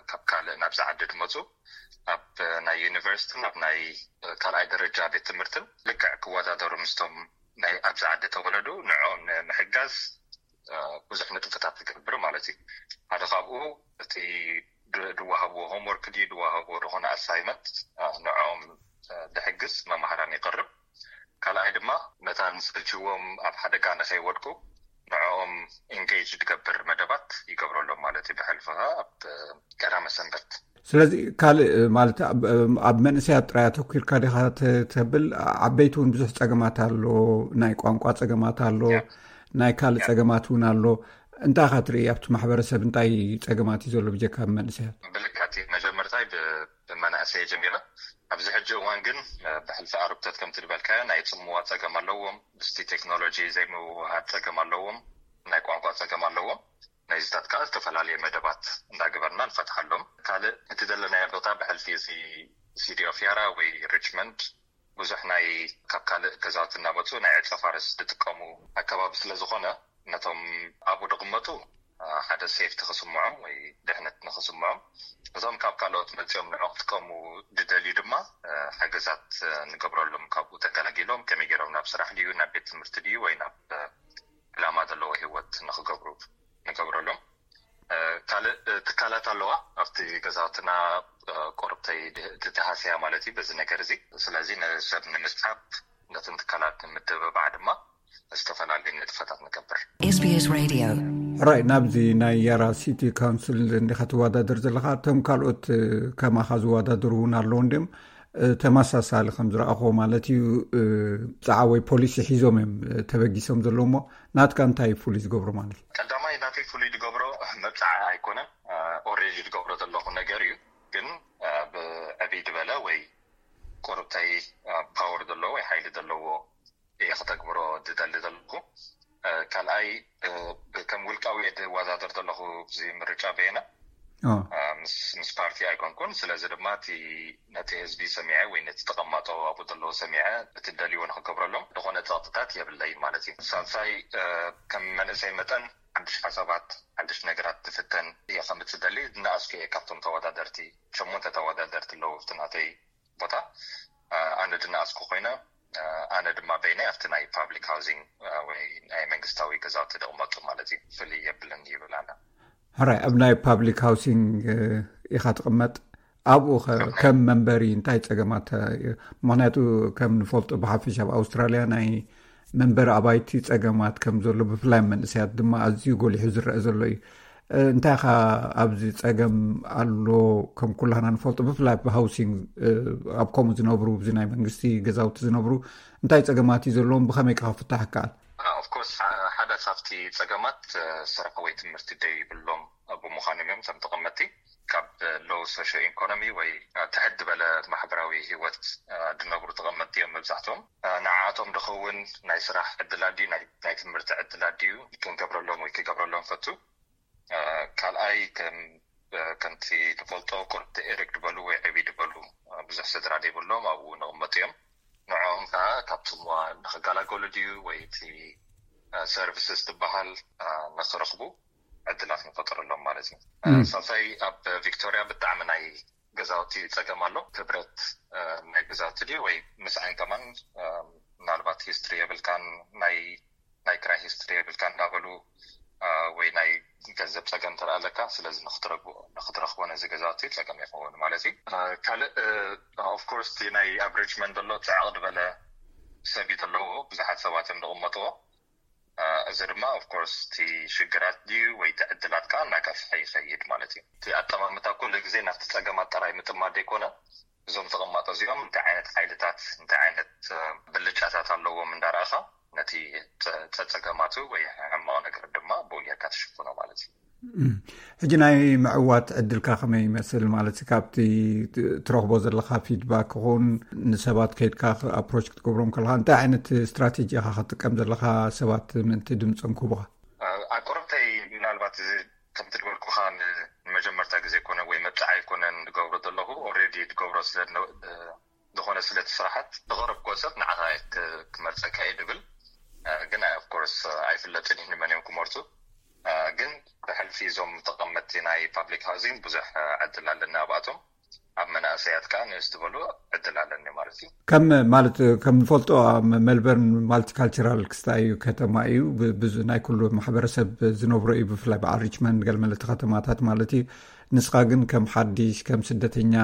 ካብ ካልእ ናብዚ ዓዲ ድመፁ ኣብ ናይ ዩኒቨርሲቲን ኣብ ናይ ካልኣይ ደረጃ ቤት ትምህርትን ልክዕ ክወዳደሩ ምስቶም ናይ ኣብዚ ዓዲ ተወለዱ ንዕኦም ንምሕጋዝ ብዙሕ ንጥፍታት ትገብር ማለት እዩ። ሓደ ካብኡ እቲ ድዋሃብዎ ሆምወርክ ድዩ ድዋሃብዎ ዝኾነ ኣሳይመንት ንዕኦም ድሕግዝ መማህራን ይቕርብ። ካልኣይ ድማ መታን ሰልችዎም ኣብ ሓደጋ ንኸይወድቁ ንዕኦም ኢንጌጅ ድገብር መደባት ይገብረሎም ማለት እዩ። ብሕልፊ ኣብ ቀዳመ ሰንበት ስለዚ ካልእ ማለት ኣብ መንእሰያት ጥራይ ኣተኪርካ ዲኻ ተብል? ዓበይቲ እውን ብዙሕ ፀገማት ኣሎ፣ ናይ ቋንቋ ፀገማት ኣሎ፣ ናይ ካልእ ፀገማት እውን ኣሎ። እንታይ ኢኻ ትርኢ ኣብቲ ማሕበረሰብ እንታይ ፀገማት እዩ ዘሎ ብጀካ ኣብ መንእሰያት? ብልካቲ መጀመርታይ ብመናእሰይ ጀሚረ። ኣብዚ ሕጂ እዋን ግን ብሕልፊ ኣርብተት ከምቲ ዝበልካዮ ናይ ፅምዋ ፀገም ኣለዎም፣ ምስቲ ቴክኖሎጂ ዘይምውሃድ ፀገም ኣለዎም፣ ናይ ቋንቋ ፀገም ኣለዎም። ናይዚታት ከዓ ዝተፈላለየ መደባት እንዳገበርና ንፈትሓሎም። ካልእ እቲ ዘለናዮ ቦታ ብሕልፊ እዚ ሲቲ ኦፍ ያራ ወይ ሪችመንድ ብዙሕ ናይ ካብ ካልእ ገዛውቲ እናመፁ ናይ ዕፀ ፋርስ ዝጥቀሙ ኣከባቢ ስለዝኾነ ነቶም ኣብኡ ድቕመጡ ሓደ ሴፍቲ ክስምዖም ወይ ድሕነት ንክስምዖም፣ እቶም ካብ ካልኦት መፂኦም ንዑ ክጥቀሙ ድደልዩ ድማ ሓገዛት ንገብረሎም። ካብኡ ተገላጊሎም ከመይ ገይሮም ናብ ስራሕ ድዩ ናብ ቤት ትምህርቲ ድዩ ወይ ናብ ዕላማ ዘለዎ ህይወት ንክገብሩ ንገብረሎም። ካልእ ትካላት ኣለዋ ኣብቲ ገዛውትና ቆርብተይ ትተሃስያ ማለት እዩ በዚ ነገር እዚ። ስለዚ ንሰብ ንምስሓብ ነትን ትካላት ንምትብባዕ ድማ ዝተፈላለዩ ንጥፈታት ንገብር። SBS Radio ሕራይ ናብዚ ናይ ያራ ሲቲ ካውንስል እንዲኻ ትወዳደር ዘለኻ እቶም ካልኦት ከማኻ ዝወዳደሩ እውን ኣለዉ እንዲም ተመሳሳሊ ከም ዝረኣኹዎ ማለት እዩ። ብዛዕባ ወይ ፖሊሲ ሒዞም እዮም ተበጊሶም ዘለዉ እሞ ናትካ እንታይ ፍሉይ ዝገብሮ ማለት እዩ? ቀዳማይ ናተይ ፍሉይ ዝገብሮ መብፃዓ ኣይኮነን። ኦሬዲ ዝገብሮ ዘለኹ ነገር እዩ። ግን ብዕብይ ዝበለ ወይ ቆርብተይ ፓወር ዘለዎ ወይ ሓይሊ ዘለዎ እየ ክተግብሮ ዝደሊ ዘለኹ። ካልኣይ ከም ውልቃዊ እየ ዝወዳደር ዘለኹ እዚ ምርጫ በየነ ምስ ፓርቲ ኣይኮንኩን። ስለዚ ድማ እቲ ነቲ ህዝቢ ሰሚዐ ወይ ነቲ ተቐማጦ ኣብኡ ዘለዉ ሰሚዐ እቲ ደልዎ ንክገብረሎም ዝኾነ ፀቕጥታት የብለይ ማለት እዩ። ሳልሳይ ከም መንእሰይ መጠን ሓድሽ ሓሳባት ሓድሽ ነገራት ትፍተን እየ ከምፅእ ደሊ ዝነኣስኩ እየ ካብቶም ተወዳደርቲ ሸሞንተ ተወዳደርቲ ኣለዉ ኣብቲ ናተይ ቦታ ኣነ ድነኣስኩ ኮይነ ኣነ ድማ በይነይ ኣብቲ ናይ ፓብሊክ ሃውሲንግ ወይ ናይ መንግስታዊ ገዛውቲ ድቕመጡ ማለት እዩ። ፍልይ የብልን ይብል ኣነ። ሕራይ ኣብ ናይ ፓብሊክ ሃውሲንግ ኢኻ ትቕመጥ ኣብኡ ከም መንበሪ እንታይ ፀገማት? ምክንያቱ ከም ንፈልጦ ብሓፈሻ ኣብ ኣውስትራልያ ናይ መንበሪ ኣባይቲ ፀገማት ከም ዘሎ ብፍላይ መንእሰያት ድማ ኣዝዩ ጎሊሑ ዝረአ ዘሎ እዩ። እንታይ ኻ ኣብዚ ጸገም ኣሎ? ከም ኩላህና ንፈልጦ ብፍላይ ኣብ ሃውሲንግ ኣብ ከምኡ ዝነብሩ እዚ ናይ መንግስቲ ገዛውቲ ዝነብሩ እንታይ ጸገማት እዩ ዘለዎም? ብኸመይ ከ ክፍታሕ ይከኣል? ኦፍኮርስ ሓደ ካብቲ ጸገማት ስራሕ ወይ ትምህርቲ ደይብሎም ብምዃኖም እዮም። እቶም ተቐመጥቲ ካብ ሎው ሶሾ ኢኮኖሚ ወይ ትሕት ዝበለ ማሕበራዊ ህይወት ዝነብሩ ተቐመጥቲ እዮም መብዛሕትኦም። ንዓኣቶም ድኸውን ናይ ስራሕ ዕድላት ድዩ፣ ናይ ትምህርቲ ዕድላት ድዩ ክንገብረሎም ወይ ክገብረሎም ፈቱ። ካልኣይ፣ ከምቲ ንፈልጦ ቁርብቲ ኤሪክ ዝበሉ ወይ ዕብይ ዝበሉ ብዙሕ ስድራ ዘይብሎም ኣብኡ ንቕመጡ እዮም። ንዕኦም ከዓ ካብቲ ንኽገላገሉ ድዩ ወይ እቲ ሰርቪስስ ዝበሃል ንኽረኽቡ ዕድላት ንፈጥረሎም ማለት እዩ። ሳልሳይ፣ ኣብ ቪክቶሪያ ብጣዕሚ ናይ ገዛውቲ ፀገም ኣሎ። ክብረት ናይ ገዛውቲ ድዩ ወይ ምስኣን ከማን ምናልባት ሂስትሪ የብልካን፣ ናይ ናይ ክራይ ሂስትሪ የብልካ እንዳበሉ ወይ ናይ ገንዘብ ፀገም ተረኣ ኣለካ። ስለዚ ንክትረኽቦ ነዚ ገዛውቲ ፀገም ይኸውን ማለት እዩ። ካልእ ኦፍኮርስ እቲ ናይ ኣብ ሪችመንድ ዘሎ ፅዕቕ ዝበለ ሰብ እዩ ዘለዎ፣ ብዙሓት ሰባት እዮም ዝቕመጥዎ። እዚ ድማ ኦፍኮርስ እቲ ሽግራት ድዩ ወይ እቲ ዕድላት ከዓ እናገፍሐ ይኸይድ ማለት እዩ። እቲ ኣጠማምታ ኩሉ ግዜ ናብቲ ፀገማት ጥራይ ምጥማት ዘይኮነ፣ እዞም ተቐማጦ እዚኦም እንታይ ዓይነት ሓይልታት እንታይ ዓይነት ብልጫታት ኣለዎም እንዳረኣኻ ነቲ ፀፀገማቱ ወይ ሕማቕ ነገር ድማ ብኡ ጌርካ ትሽፍኖ ማለት እዩ። ሕጂ ናይ ምዕዋት ዕድልካ ከመይ ይመስል ማለት እዩ? ካብቲ ትረኽቦ ዘለካ ፊድባክ ይኹን ንሰባት ከይድካ ኣፕሮች ክትገብሮም ከለካ እንታይ ዓይነት ስትራቴጂ ኢኻ ክትጥቀም ዘለካ ሰባት ምእንቲ ድምፆም ክህቡኻ? ኣቁርብተይ ምናልባት እዚ ከምቲ ዝበልኩኻ ንመጀመርታ ግዜ ኮነ ወይ መብፅዓ ኣይኮነን ዝገብሮ ዘለኹ። ኦልሬዲ ዝገብሮ ስለ ዝኾነ ስለቲ ስራሓት ዝቐረብኮ ሰብ ንዓኻ ክመርፀካ እየ ድብል። ግን ኦፍኮርስ ኣይፍለጥን እዩ ንመን እዮም ክመርፁ። ግን ብሕልፊ እዞም ተቐመጥቲ ናይ ፓብሊክ ሃውሲንግ ብዙሕ ዕድል ኣለና ኣብኣቶም። ኣብ መናእሰያት ከዓ ንእስ ዝበሉ ዕድል ኣለኒ ማለት እዩ። ከም ማለት ከም ንፈልጦ ሜልበርን ማልቲካልቸራል ክስታይ እዩ፣ ከተማ እዩ። ብዙ ናይ ኩሉ ማሕበረሰብ ዝነብሮ እዩ። ብፍላይ በዓል ሪችመንድ ገለመለቲ ከተማታት ማለት እዩ። ንስኻ ግን ከም ሓዲሽ ከም ስደተኛ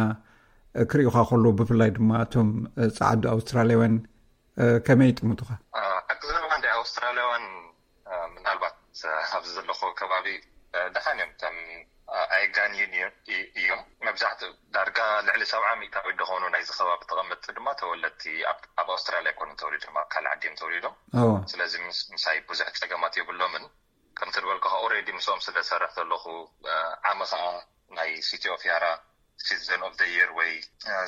ክርእዩኻ ከለዉ ብፍላይ ድማ እቶም ፃዓዱ ኣውስትራልያውያን ከመይ ይጥምቱኻ? ኣክዘባ እንደ ኣውስትራልያውያን ምናልባት ኣብዚ ዘለኹ ከባቢ ደሓን እዮም። ከም ኣይጋንይን እዮም። መብዛሕትኡ ዳርጋ ልዕሊ ሰብዓ ሚእታዊት ዝኾኑ ናይዚ ከባቢ ተቐመጥቲ ድማ ተወለድቲ ኣብ ኣውስትራልያ ኣይኮኑን ተወሊዶም፣ ኣብ ካልእ ዓዲ እዮም ተወሊዶም። ስለዚ ምሳይ ብዙሕ ፀገማት የብሎምን። ከምቲ ዝበልኩኻ ኦልሬዲ ምስኦም ስለ ዝሰርሕ ዘለኹ ዓሚ ከዓ ናይ ሲቲ ኦፍ ያራ ሲቲዘን ኦፍ ደ ይር ወይ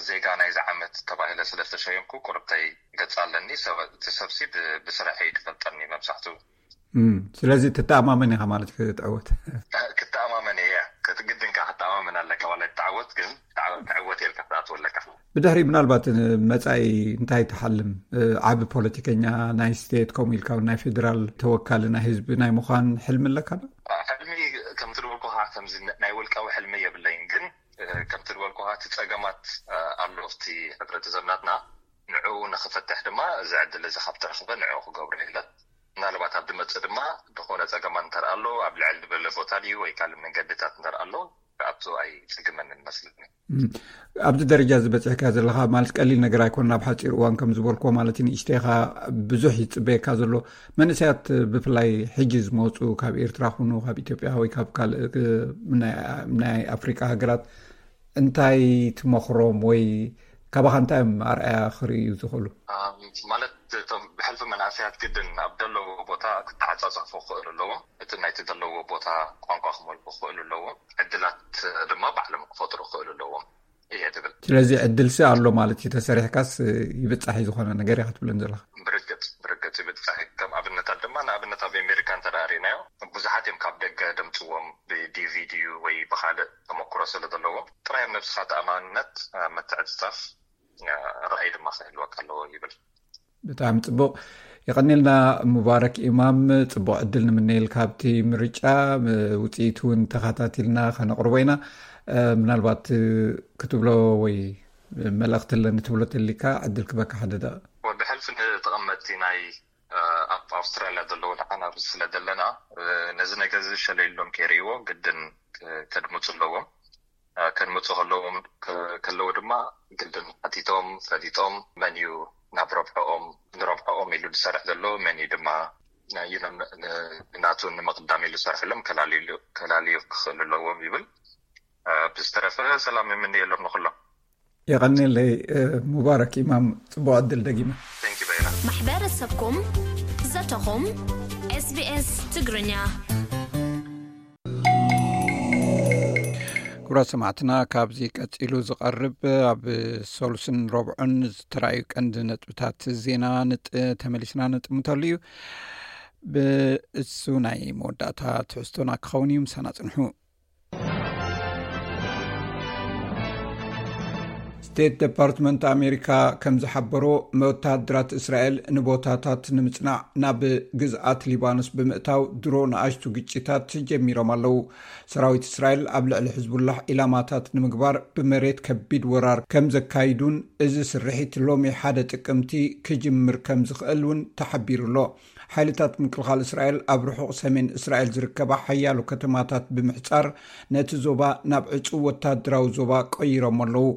ዜጋ ናይዚ ዓመት ተባሂለ ስለ ዝተሸየምኩ ቁርብተይ ገጽ ኣለኒ። እቲ ሰብሲ ብስራሕ እዩ ዝፈልጠኒ መብዛሕትኡ። ስለዚ ትተኣማመን ኢኻ ማለት ክትዕወት? ክተኣማመን እየ። ክትግድን ከዓ ክትተኣማመን ኣለካ። ዋላ ትተዓወት ግን ትዕወት የልካ ክትኣትወ ኣለካ። ብድሕሪ ምናልባት መጻኢ እንታይ ትሓልም? ዓቢ ፖለቲከኛ ናይ ስቴት ከምኡ ኢልካ ናይ ፌደራል ተወካሊ ናይ ህዝቢ ናይ ምዃን ሕልሚ ኣለካ ዶ? ሕልሚ ከምቲ ዝበልኩኻ ከምዚ ናይ ውልቃዊ ሕልሚ የብለይን፣ ግን ከምቲ ዝበልኩኻ እቲ ጸገማት ኣሎ ኣብቲ ሕብረተሰብ ናትና። ንዕኡ ንኽፈትሕ ድማ እዚ ዕድል እዚ ካብ ተረኽበ ንዕኡ ክገብሮ ኢለ። ምናልባት ኣብ ዝመጽእ ድማ ዝኾነ ጸገማት እንተርኣ ኣሎ ኣብ ልዕል ዝበለ ቦታ ድዩ ወይ ካልእ መንገድታት እንተርኣ ኣሎ ክኣቱ ኣይጽግመንን መስለኒ። ኣብዚ ደረጃ እዚ በጺሕካ ዘለኻ ማለት ቀሊል ነገር ኣይኮን። ኣብ ሓጺር እዋን ከም ዝበልክዎ ማለት ንእሽተይኻ ብዙሕ ይጽበየካ ዘሎ መንእሰያት ብፍላይ ሕጂ ዝመፁ ካብ ኤርትራ ኩኑ ካብ ኢትዮጵያ ወይ ካብ ካልእ ናይ ኣፍሪቃ ሃገራት እንታይ ትመኽሮም ወይ ካባኻ እንታይ እዮም ኣርኣያ ክርእዩ ዝኽእሉ? ማለት እቶም ብሕልፊ መናእሰያት ግድን ኣብ ዘለዎ ቦታ ክተዓፃፀፉ ክኽእሉ ኣለዎም። እቲ ናይቲ ዘለዎ ቦታ ቋንቋ ክመልኩ ክኽእሉ ኣለዎም። ዕድላት ድማ ባዕሎም ክፈጥሩ ክኽእሉ ኣለዎም እየ ትብል። ስለዚ ዕድልሲ ኣሎ ማለት እዩ። ተሰሪሕካስ ይብፃሕ እዩ ዝኾነ ነገር ኢኻ ትብለን ዘለኻ? ብርግፅ ብርግፅ ይብፃሕ እዩ። ከም ኣብነታት ድማ ንኣብነት ኣብ ኣሜሪካ እንተ ርኢናዮ ብዙሓት እዮም ካብ ደገ ደምፅዎም ብዲቪ ድዩ ወይ ብካልእ ተመክሮ ስለ ዘለዎም ጥራይ ኣብ ነብስኻ ተኣማንነት ምትዕፅፃፍ ራእይ ድማ ክህልወካ ኣለዎ ይብል። ብጣዕሚ ፅቡቕ። የቐኒልና ሙባረክ ኢማም፣ ፅቡቕ ዕድል ንምነየልካ ኣብቲ ምርጫ። ውፅኢቱ እውን ተኸታቲልና ከነቕርቦ ኢና። ምናልባት ክትብሎ ወይ መልእኽቲ ኣለኒ ትብሎ ተሊካ ዕድል ክበካ ሓደ ደቂቕ። ብሕልፊ ንተቐመጥቲ ናይ ኣብ ኣውስትራልያ ዘለዉ ንዓና ስለ ዘለና ነዚ ነገር እዚ ሸለይሎም ከይርእይዎ ግድን ከድምፁ ኣለዎም። ከድምፁ ከለዎም ከለዉ ድማ ግድን ሓቲቶም ፈሊጦም መን እዩ ናብ ረብሐኦም ንረብሐኦም ኢሉ ዝሰርሕ ዘሎ መን እዩ ድማ ንናቱ ንምቕዳም ኢሉ ዝሰርሐሎም ከላልዩ ክኽእሉ ኣለዎም ይብል። ብዝተረፈ ሰላም ይምንየሎም ንኩሎም። የቐኒለይ ሙባረክ ኢማም፣ ፅቡቕ ዕድል ደጊመ። ማሕበረሰብኩም ዘተኹም ኤስቢኤስ ትግርኛ። ክቡራት ሰማዕትና፣ ካብዚ ቀጺሉ ዝቐርብ ኣብ ሰሉስን ረብዑን ዝተራእዩ ቀንዲ ነጥብታት ዜና ንጥ-፣ ተመሊስና ንጥምተሉ እዩ። ብእሱ ናይ መወዳእታ ትሕዝቶና ክኸውን እዩ። ምሳና ጽንሑ። ስቴት ዲፓርትመንት ኣሜሪካ ከም ዝሓበሮ፣ ወታደራት እስራኤል ንቦታታት ንምጽናዕ ናብ ግዝኣት ሊባኖስ ብምእታው ድሮ ንኣሽቱ ግጭታት ጀሚሮም ኣለዉ። ሰራዊት እስራኤል ኣብ ልዕሊ ሕዝቡላህ ኢላማታት ንምግባር ብመሬት ከቢድ ወራር ከም ዘካይዱን፣ እዚ ስርሒት ሎሚ ሓደ ጥቅምቲ ክጅምር ከም ዝኽእል እውን ተሓቢሩ ኣሎ። ሓይልታት ምክልኻል እስራኤል ኣብ ርሑቕ ሰሜን እስራኤል ዝርከባ ሓያሎ ከተማታት ብምሕጻር፣ ነቲ ዞባ ናብ ዕጹው ወታደራዊ ዞባ ቀይሮም ኣለዉ።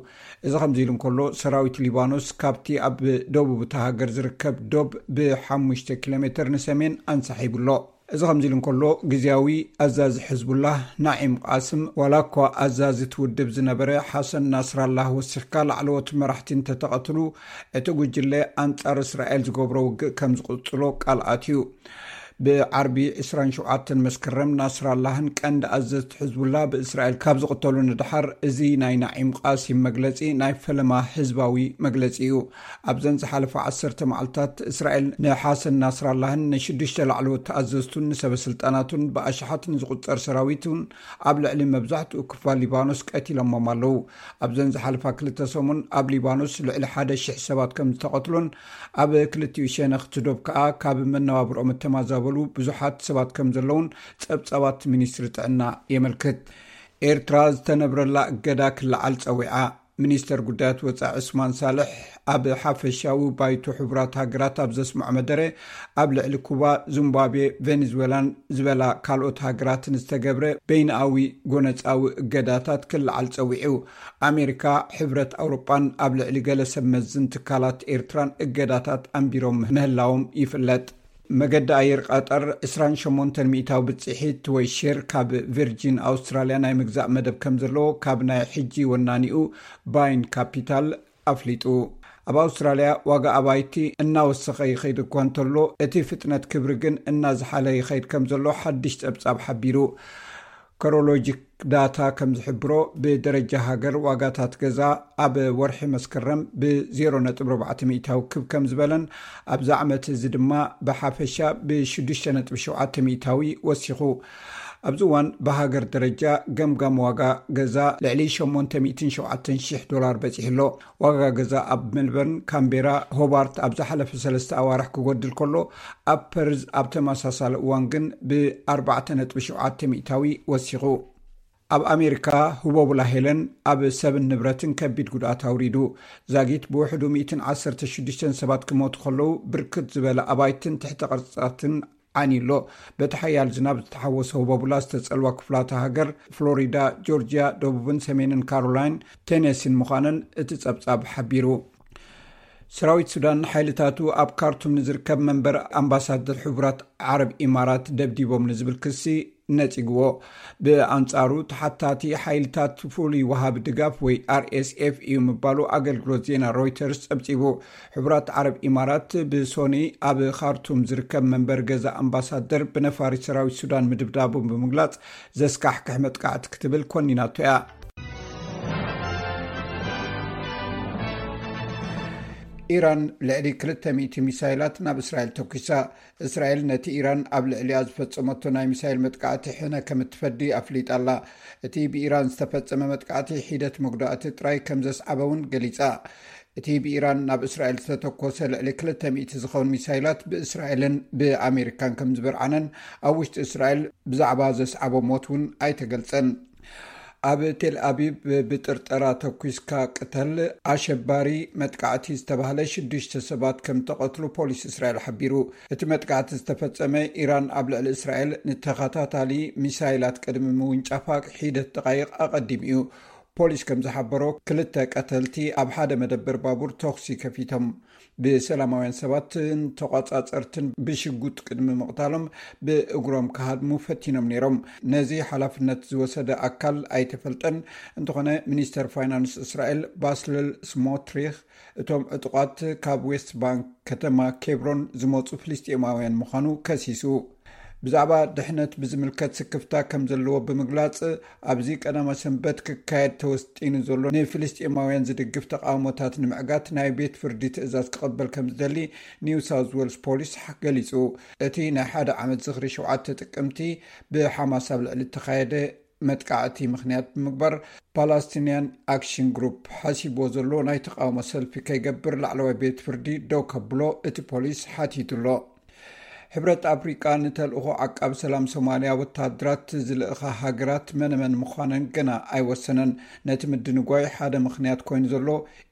እዚ ከምዚ ኢሉ እንከሎ፣ ሰራዊት ሊባኖስ ካብቲ ኣብ ደቡብ እታ ሃገር ዝርከብ ዶብ ብ5 ኪሎ ሜተር ንሰሜን ኣንሳሒቡ ኣሎ። እዚ ከምዚ ኢሉ እንከሎ፣ ግዝያዊ ኣዛዚ ሕዝቡላህ ናዒም ቃስም፣ ዋላ እኳ ኣዛዚ እቲ ውድብ ዝነበረ ሓሰን ናስራላህ ወሲኽካ፣ ላዕለዎት መራሕቲ እንተተቐትሉ፣ እቲ ጉጅለ ኣንጻር እስራኤል ዝገብሮ ውግእ ከም ዝቕጽሎ ቃል ኣትዩ። ብዓርቢ ዕስራን ሸውዓተን መስከረም፣ ናስራላህን ቀንዲ ኣዘዝቲ ሕዝቡላ ብእስራኤል ካብ ዝቕተሉ ንድሓር፣ እዚ ናይ ናዒም ቃሲም መግለጺ ናይ ፈለማ ህዝባዊ መግለጺ እዩ። ኣብዘን ዝሓለፋ ዓሰርተ መዓልታት፣ እስራኤል ንሓሰን ናስራላህን ንሽዱሽተ ላዕለዎት ኣዘዝቱን ንሰበ ስልጣናቱን ብኣሽሓት ንዝቑጸር ሰራዊቱን ኣብ ልዕሊ መብዛሕትኡ ክፋል ሊባኖስ ቀቲሎሞም ኣለዉ። ኣብዘን ዝሓለፋ ክልተ ሰሙን ኣብ ሊባኖስ ልዕሊ ሓደ ሽሕ ሰባት ከም ዝተቐትሉን ኣብ ክልቲኡ ሸነኽ እቲ ዶብ ከኣ ካብ መነባብርኦም እተማዛበሉ ብዙሓት ሰባት ከም ዘለዉን ጸብጻባት ሚኒስትሪ ጥዕና የመልክት። ኤርትራ ዝተነብረላ እገዳ ክለዓል ጸዊዓ። ሚኒስተር ጉዳያት ወጻኢ ዑስማን ሳልሕ፣ ኣብ ሓፈሻዊ ባይቶ ሕቡራት ሃገራት ኣብ ዘስምዖ መደረ፣ ኣብ ልዕሊ ኩባ፣ ዚምባብዌ፣ ቬኔዙዌላን ዝበላ ካልኦት ሃገራትን ዝተገብረ በይንኣዊ ጎነጻዊ እገዳታት ክለዓል ጸዊዑ። ኣሜሪካ፣ ሕብረት ኣውሮጳን ኣብ ልዕሊ ገለ ሰብ መዝን ትካላት ኤርትራን እገዳታት ኣንቢሮም ምህላዎም ይፍለጥ። መገዲ ኣየር ቀጠር ዕስራን ሸሞንተን ሚእታዊ ብጽሒት ወይ ሼር ካብ ቪርጂን ኣውስትራልያ ናይ ምግዛእ መደብ ከም ዘለዎ ካብ ናይ ሕጂ ወናኒኡ ባይን ካፒታል ኣፍሊጡ። ኣብ ኣውስትራልያ ዋጋ ኣባይቲ እናወሰኸ ይኸይድ እኳ እንተሎ፣ እቲ ፍጥነት ክብሪ ግን እናዝሓለ ይኸይድ ከም ዘሎ ሓድሽ ጸብጻብ ሓቢሩ። ኮሮሎጂክ ዳታ ከም ዝሕብሮ፣ ብደረጃ ሃገር ዋጋታት ገዛ ኣብ ወርሒ መስከረም ብ ዜሮ ነጥቢ ኣርባዕተ ሚእታዊ ክብ ከም ዝበለን፣ ኣብዚ ዓመት እዚ ድማ ብሓፈሻ ብ ሽዱሽተ ነጥቢ ሸውዓተ ሚእታዊ ወሲኹ። ኣብዚ እዋን ብሃገር ደረጃ ገምጋም ዋጋ ገዛ ልዕሊ ሸሞንተ ሚእትን ሸውዓተን ሽሕ ዶላር በጺሑ ኣሎ። ዋጋ ገዛ ኣብ ሜልበርን፣ ካምቤራ፣ ሆባርት ኣብ ዝሓለፈ ሰለስተ ኣዋርሕ ክጎድል ከሎ፣ ኣብ ፐርዝ ኣብ ተመሳሳሊ እዋን ግን ብ ኣርባዕተ ነጥቢ ሸውዓተ ሚእታዊ ወሲኹ። ኣብ ኣሜሪካ፣ ህቦቡላ ሄለን ኣብ ሰብን ንብረትን ከቢድ ጉድኣት ኣውሪዱ። ዛጊት ብውሕዱ ሚእትን ዓሰርተ ሽዱሽተን ሰባት ክሞቱ ከለዉ፣ ብርክት ዝበለ ኣባይትን ትሕተ ቅርጻትን ዓንዩ ኣሎ። በቲ ሓያል ዝናብ ዝተሓወሰ ህቦቡላ ዝተጸልዋ ክፍላተ ሃገር ፍሎሪዳ፣ ጆርጅያ፣ ደቡብን ሰሜንን ካሮላይን፣ ቴነሲን ምዃነን እቲ ጸብጻብ ሓቢሩ። ሰራዊት ሱዳን፣ ሓይልታቱ ኣብ ካርቱም ንዝርከብ መንበር ኣምባሳደር ሕቡራት ዓረብ ኢማራት ደብዲቦም ንዝብል ክሲ ነጺግዎ። ብኣንጻሩ፣ ተሓታቲ ሓይልታት ፍሉይ ወሃቢ ድጋፍ ወይ ኣር ኤስ ኤፍ እዩ ምባሉ ኣገልግሎት ዜና ሮይተርስ ጸብጺቡ። ሕቡራት ዓረብ ኢማራት ብሶኒ ኣብ ካርቱም ዝርከብ መንበር ገዛ ኣምባሳደር ብነፋሪት ሰራዊት ሱዳን ምድብዳቡ ብምግላጽ፣ ዘስካሕክሕ መጥቃዕቲ ክትብል ኮኒናቶ እያ። ኢራን ልዕሊ ክልተ ሚእቲ ሚሳይላት ናብ እስራኤል ተኲሳ። እስራኤል ነቲ ኢራን ኣብ ልዕሊኣ ዝፈጸመቶ ናይ ሚሳይል መጥቃዕቲ ሕነ ከም እትፈዲ ኣፍሊጣ ኣላ። እቲ ብኢራን ዝተፈጸመ መጥቃዕቲ ሒደት መጉዳእቲ ጥራይ ከም ዘስዓበ እውን ገሊጻ። እቲ ብኢራን ናብ እስራኤል ዝተተኮሰ ልዕሊ ክልተ ሚእቲ ዝኸውን ሚሳይላት ብእስራኤልን ብኣሜሪካን ከም ዝበርዓነን፣ ኣብ ውሽጢ እስራኤል ብዛዕባ ዘስዓቦ ሞት እውን ኣይተገልጸን። ኣብ ቴል ኣቪቭ ብጥርጠራ ተኲስካ ቅተል፣ ኣሸባሪ መጥቃዕቲ ዝተባህለ ሽዱሽተ ሰባት ከም ተቐትሉ ፖሊስ እስራኤል ሓቢሩ። እቲ መጥቃዕቲ ዝተፈጸመ፣ ኢራን ኣብ ልዕሊ እስራኤል ንተኸታታሊ ሚሳይላት ቅድሚ ምውንጫፋ ሒደት ደቓይቕ ኣቐዲሙ እዩ። ፖሊስ ከም ዝሓበሮ፣ ክልተ ቀተልቲ ኣብ ሓደ መደበር ባቡር ተኹሲ ከፊቶም። ብሰላማውያን ሰባትን ተቋጻጸርትን ብሽጉጥ ቅድሚ ምቕታሎም፣ ብእግሮም ክሃድሙ ፈቲኖም ነይሮም። ነዚ ሓላፍነት ዝወሰደ ኣካል ኣይተፈልጠን። እንተኾነ፣ ሚኒስተር ፋይናንስ እስራኤል ባስለል ስሞትሪኽ፣ እቶም ዕጡቓት ካብ ዌስት ባንክ ከተማ ኬብሮን ዝመጹ ፍልስጤማውያን ምዃኑ ከሲሱ። ብዛዕባ ድሕነት ብዝምልከት ስክፍታ ከም ዘለዎ ብምግላጽ፣ ኣብዚ ቀዳመ ሰንበት ክካየድ ተወስጢኑ ዘሎ ንፍልስጤማውያን ዝድግፍ ተቃውሞታት ንምዕጋት ናይ ቤት ፍርዲ ትእዛዝ ክቕበል ከም ዝደሊ ኒው ሳውዝ ዌልስ ፖሊስ ገሊጹ። እቲ ናይ ሓደ ዓመት ዝኽሪ ሸውዓተ ጥቅምቲ ብሓማስ ኣብ ልዕሊ እተኻየደ መጥቃዕቲ ምኽንያት ብምግባር፣ ፓላስቲንያን ኣክሽን ግሩፕ ሓሲብዎ ዘሎ ናይ ተቃውሞ ሰልፊ ከይገብር ላዕለዋይ ቤት ፍርዲ ደው ከብሎ እቲ ፖሊስ ሓቲቱ ኣሎ። ሕብረት ኣፍሪቃ ንተልእኾ ዓቃብ ሰላም ሶማልያ ወተሃደራት ዝልእኻ ሃገራት መነመን ምዃነን ገና ኣይወሰነን። ነቲ ምድንጓይ ሓደ ምኽንያት ኮይኑ ዘሎ፣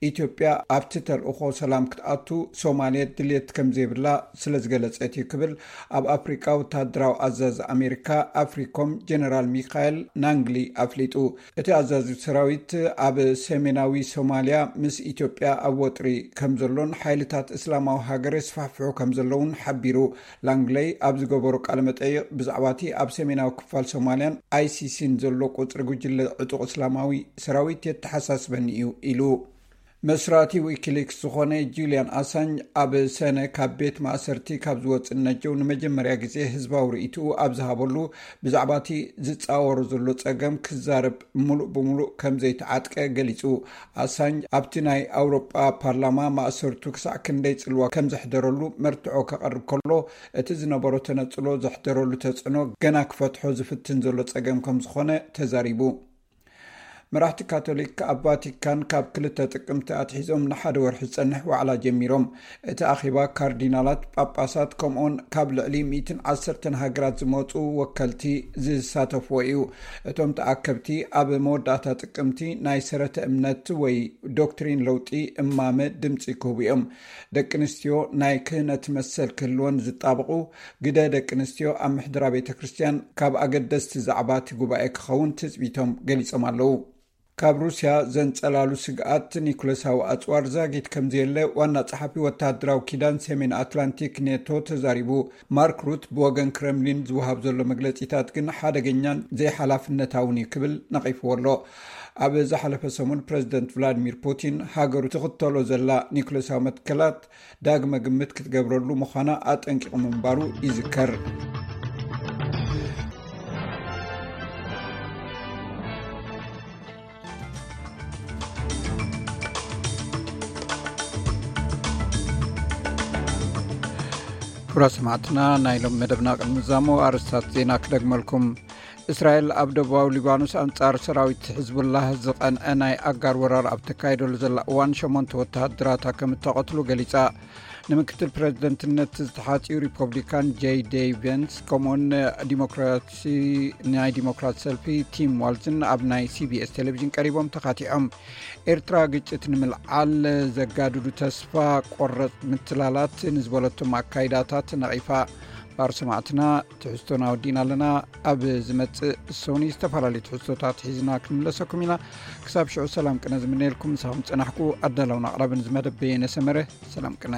ኢትዮጵያ ኣብቲ ተልእኾ ሰላም ክትኣቱ ሶማልያ ድልየት ከም ዘይብላ ስለ ዝገለጸት እዩ ክብል ኣብ ኣፍሪቃ ወተሃደራዊ ኣዛዚ ኣሜሪካ ኣፍሪኮም ጀነራል ሚካኤል ናንግሊ ኣፍሊጡ። እቲ ኣዛዚ ሰራዊት ኣብ ሰሜናዊ ሶማልያ ምስ ኢትዮጵያ ኣብ ወጥሪ ከም ዘሎን ሓይልታት እስላማዊ ሃገር የስፋሕፍሑ ከም ዘለውን ሓቢሩ። ላንግለይ ኣብ ዝገበሮ ቃለ መጠይቕ፣ ብዛዕባ እቲ ኣብ ሰሜናዊ ክፋል ሶማልያን ኣይሲሲን ዘሎ ቁጽሪ ጉጅለ ዕጡቕ እስላማዊ ሰራዊት የተሓሳስበኒ እዩ ኢሉ። መስራቲ ዊኪሊክስ ዝኾነ ጁልያን ኣሳንጅ ኣብ ሰነ ካብ ቤት ማእሰርቲ ካብ ዝወፅእ ነጀው ንመጀመርያ ግዜ ህዝባዊ ርእይትኡ ኣብ ዝሃበሉ፣ ብዛዕባ እቲ ዝፃወሮ ዘሎ ፀገም ክዛረብ ሙሉእ ብሙሉእ ከም ዘይተዓጥቀ ገሊፁ። ኣሳንጅ ኣብቲ ናይ ኣውሮጳ ፓርላማ ማእሰርቱ ክሳዕ ክንደይ ፅልዋ ከም ዘሕደረሉ መርትዖ ከቐርብ ከሎ፣ እቲ ዝነበሮ ተነፅሎ ዘሕደረሉ ተፅዕኖ ገና ክፈትሖ ዝፍትን ዘሎ ፀገም ከም ዝኾነ ተዛሪቡ። መራሕቲ ካቶሊክ ኣብ ቫቲካን ካብ ክልተ ጥቅምቲ ኣትሒዞም ንሓደ ወርሒ ዝጸንሕ ዋዕላ ጀሚሮም። እቲ ኣኼባ ካርዲናላት፣ ጳጳሳት፣ ከምኡውን ካብ ልዕሊ ሚእትን ዓሰርተን ሃገራት ዝመጹ ወከልቲ ዝሳተፍዎ እዩ። እቶም ተኣከብቲ ኣብ መወዳእታ ጥቅምቲ ናይ ሰረተ እምነት ወይ ዶክትሪን ለውጢ እማመ ድምጺ ክህቡ እዮም። ደቂ ኣንስትዮ ናይ ክህነት መሰል ክህልወን ዝጣበቑ ግደ ደቂ ኣንስትዮ ኣብ ምሕደራ ቤተ ክርስቲያን ካብ ኣገደስቲ ዛዕባ እቲ ጉባኤ ክኸውን ትጽቢቶም ገሊጾም ኣለዉ። ካብ ሩስያ ዘንጸላሉ ስግኣት ኒኩለሳዊ ኣጽዋር ዛጊት ከም ዘየለ ዋና ጸሓፊ ወተሃደራዊ ኪዳን ሰሜን ኣትላንቲክ ኔቶ ተዛሪቡ። ማርክ ሩት ብወገን ክረምሊን ዝወሃብ ዘሎ መግለጺታት ግን ሓደገኛን ዘይሓላፍነታውን እዩ ክብል ነቒፍዎ ኣሎ። ኣብ ዝሓለፈ ሰሙን ፕረዚደንት ቭላዲሚር ፑቲን ሃገሩ ትኽተሎ ዘላ ኒኩለሳዊ መትከላት ዳግመ ግምት ክትገብረሉ ምዃና ኣጠንቂቑ ምንባሩ ይዝከር። ክቡራት ሰማዕትና፣ ናይ ሎም መደብና ቅድሚ ዛሞ ኣርእስታት ዜና ክደግመልኩም። እስራኤል ኣብ ደቡባዊ ሊባኖስ ኣንጻር ሰራዊት ሕዝቡላህ ዝቐንዐ ናይ ኣጋር ወራር ኣብ ተካይደሉ ዘላ እዋን ሸሞንተ ወተሃደራታ ከም እተቐትሉ ገሊጻ። ንምክትል ፕረዚደንትነት ዝተሓጽዩ ሪፐብሊካን ጄይ ዴይ ቬንስ ከምኡውን ዲሞክራሲ ናይ ዲሞክራት ሰልፊ ቲም ዋልዝን ኣብ ናይ ሲቢኤስ ቴሌቪዥን ቀሪቦም ተኻቲዖም። ኤርትራ ግጭት ንምልዓል ዘጋድዱ ተስፋ ቆረጽ ምትላላት ንዝበለቶም ኣካይዳታት ነቒፋ። ባር ሰማዕትና ትሕዝቶና ወዲእና ኣለና። ኣብ ዝመጽእ ሰውኒ ዝተፈላለዩ ትሕዝቶታት ሒዝና ክንምለሰኩም ኢና። ክሳብ ሽዑ ሰላም ቅነ ዝምነየልኩም ምሳኹም ጸናሕኩ ኣዳላውን ኣቕራብን ዝመደብ በየነ ሰመረ። ሰላም ቅነ።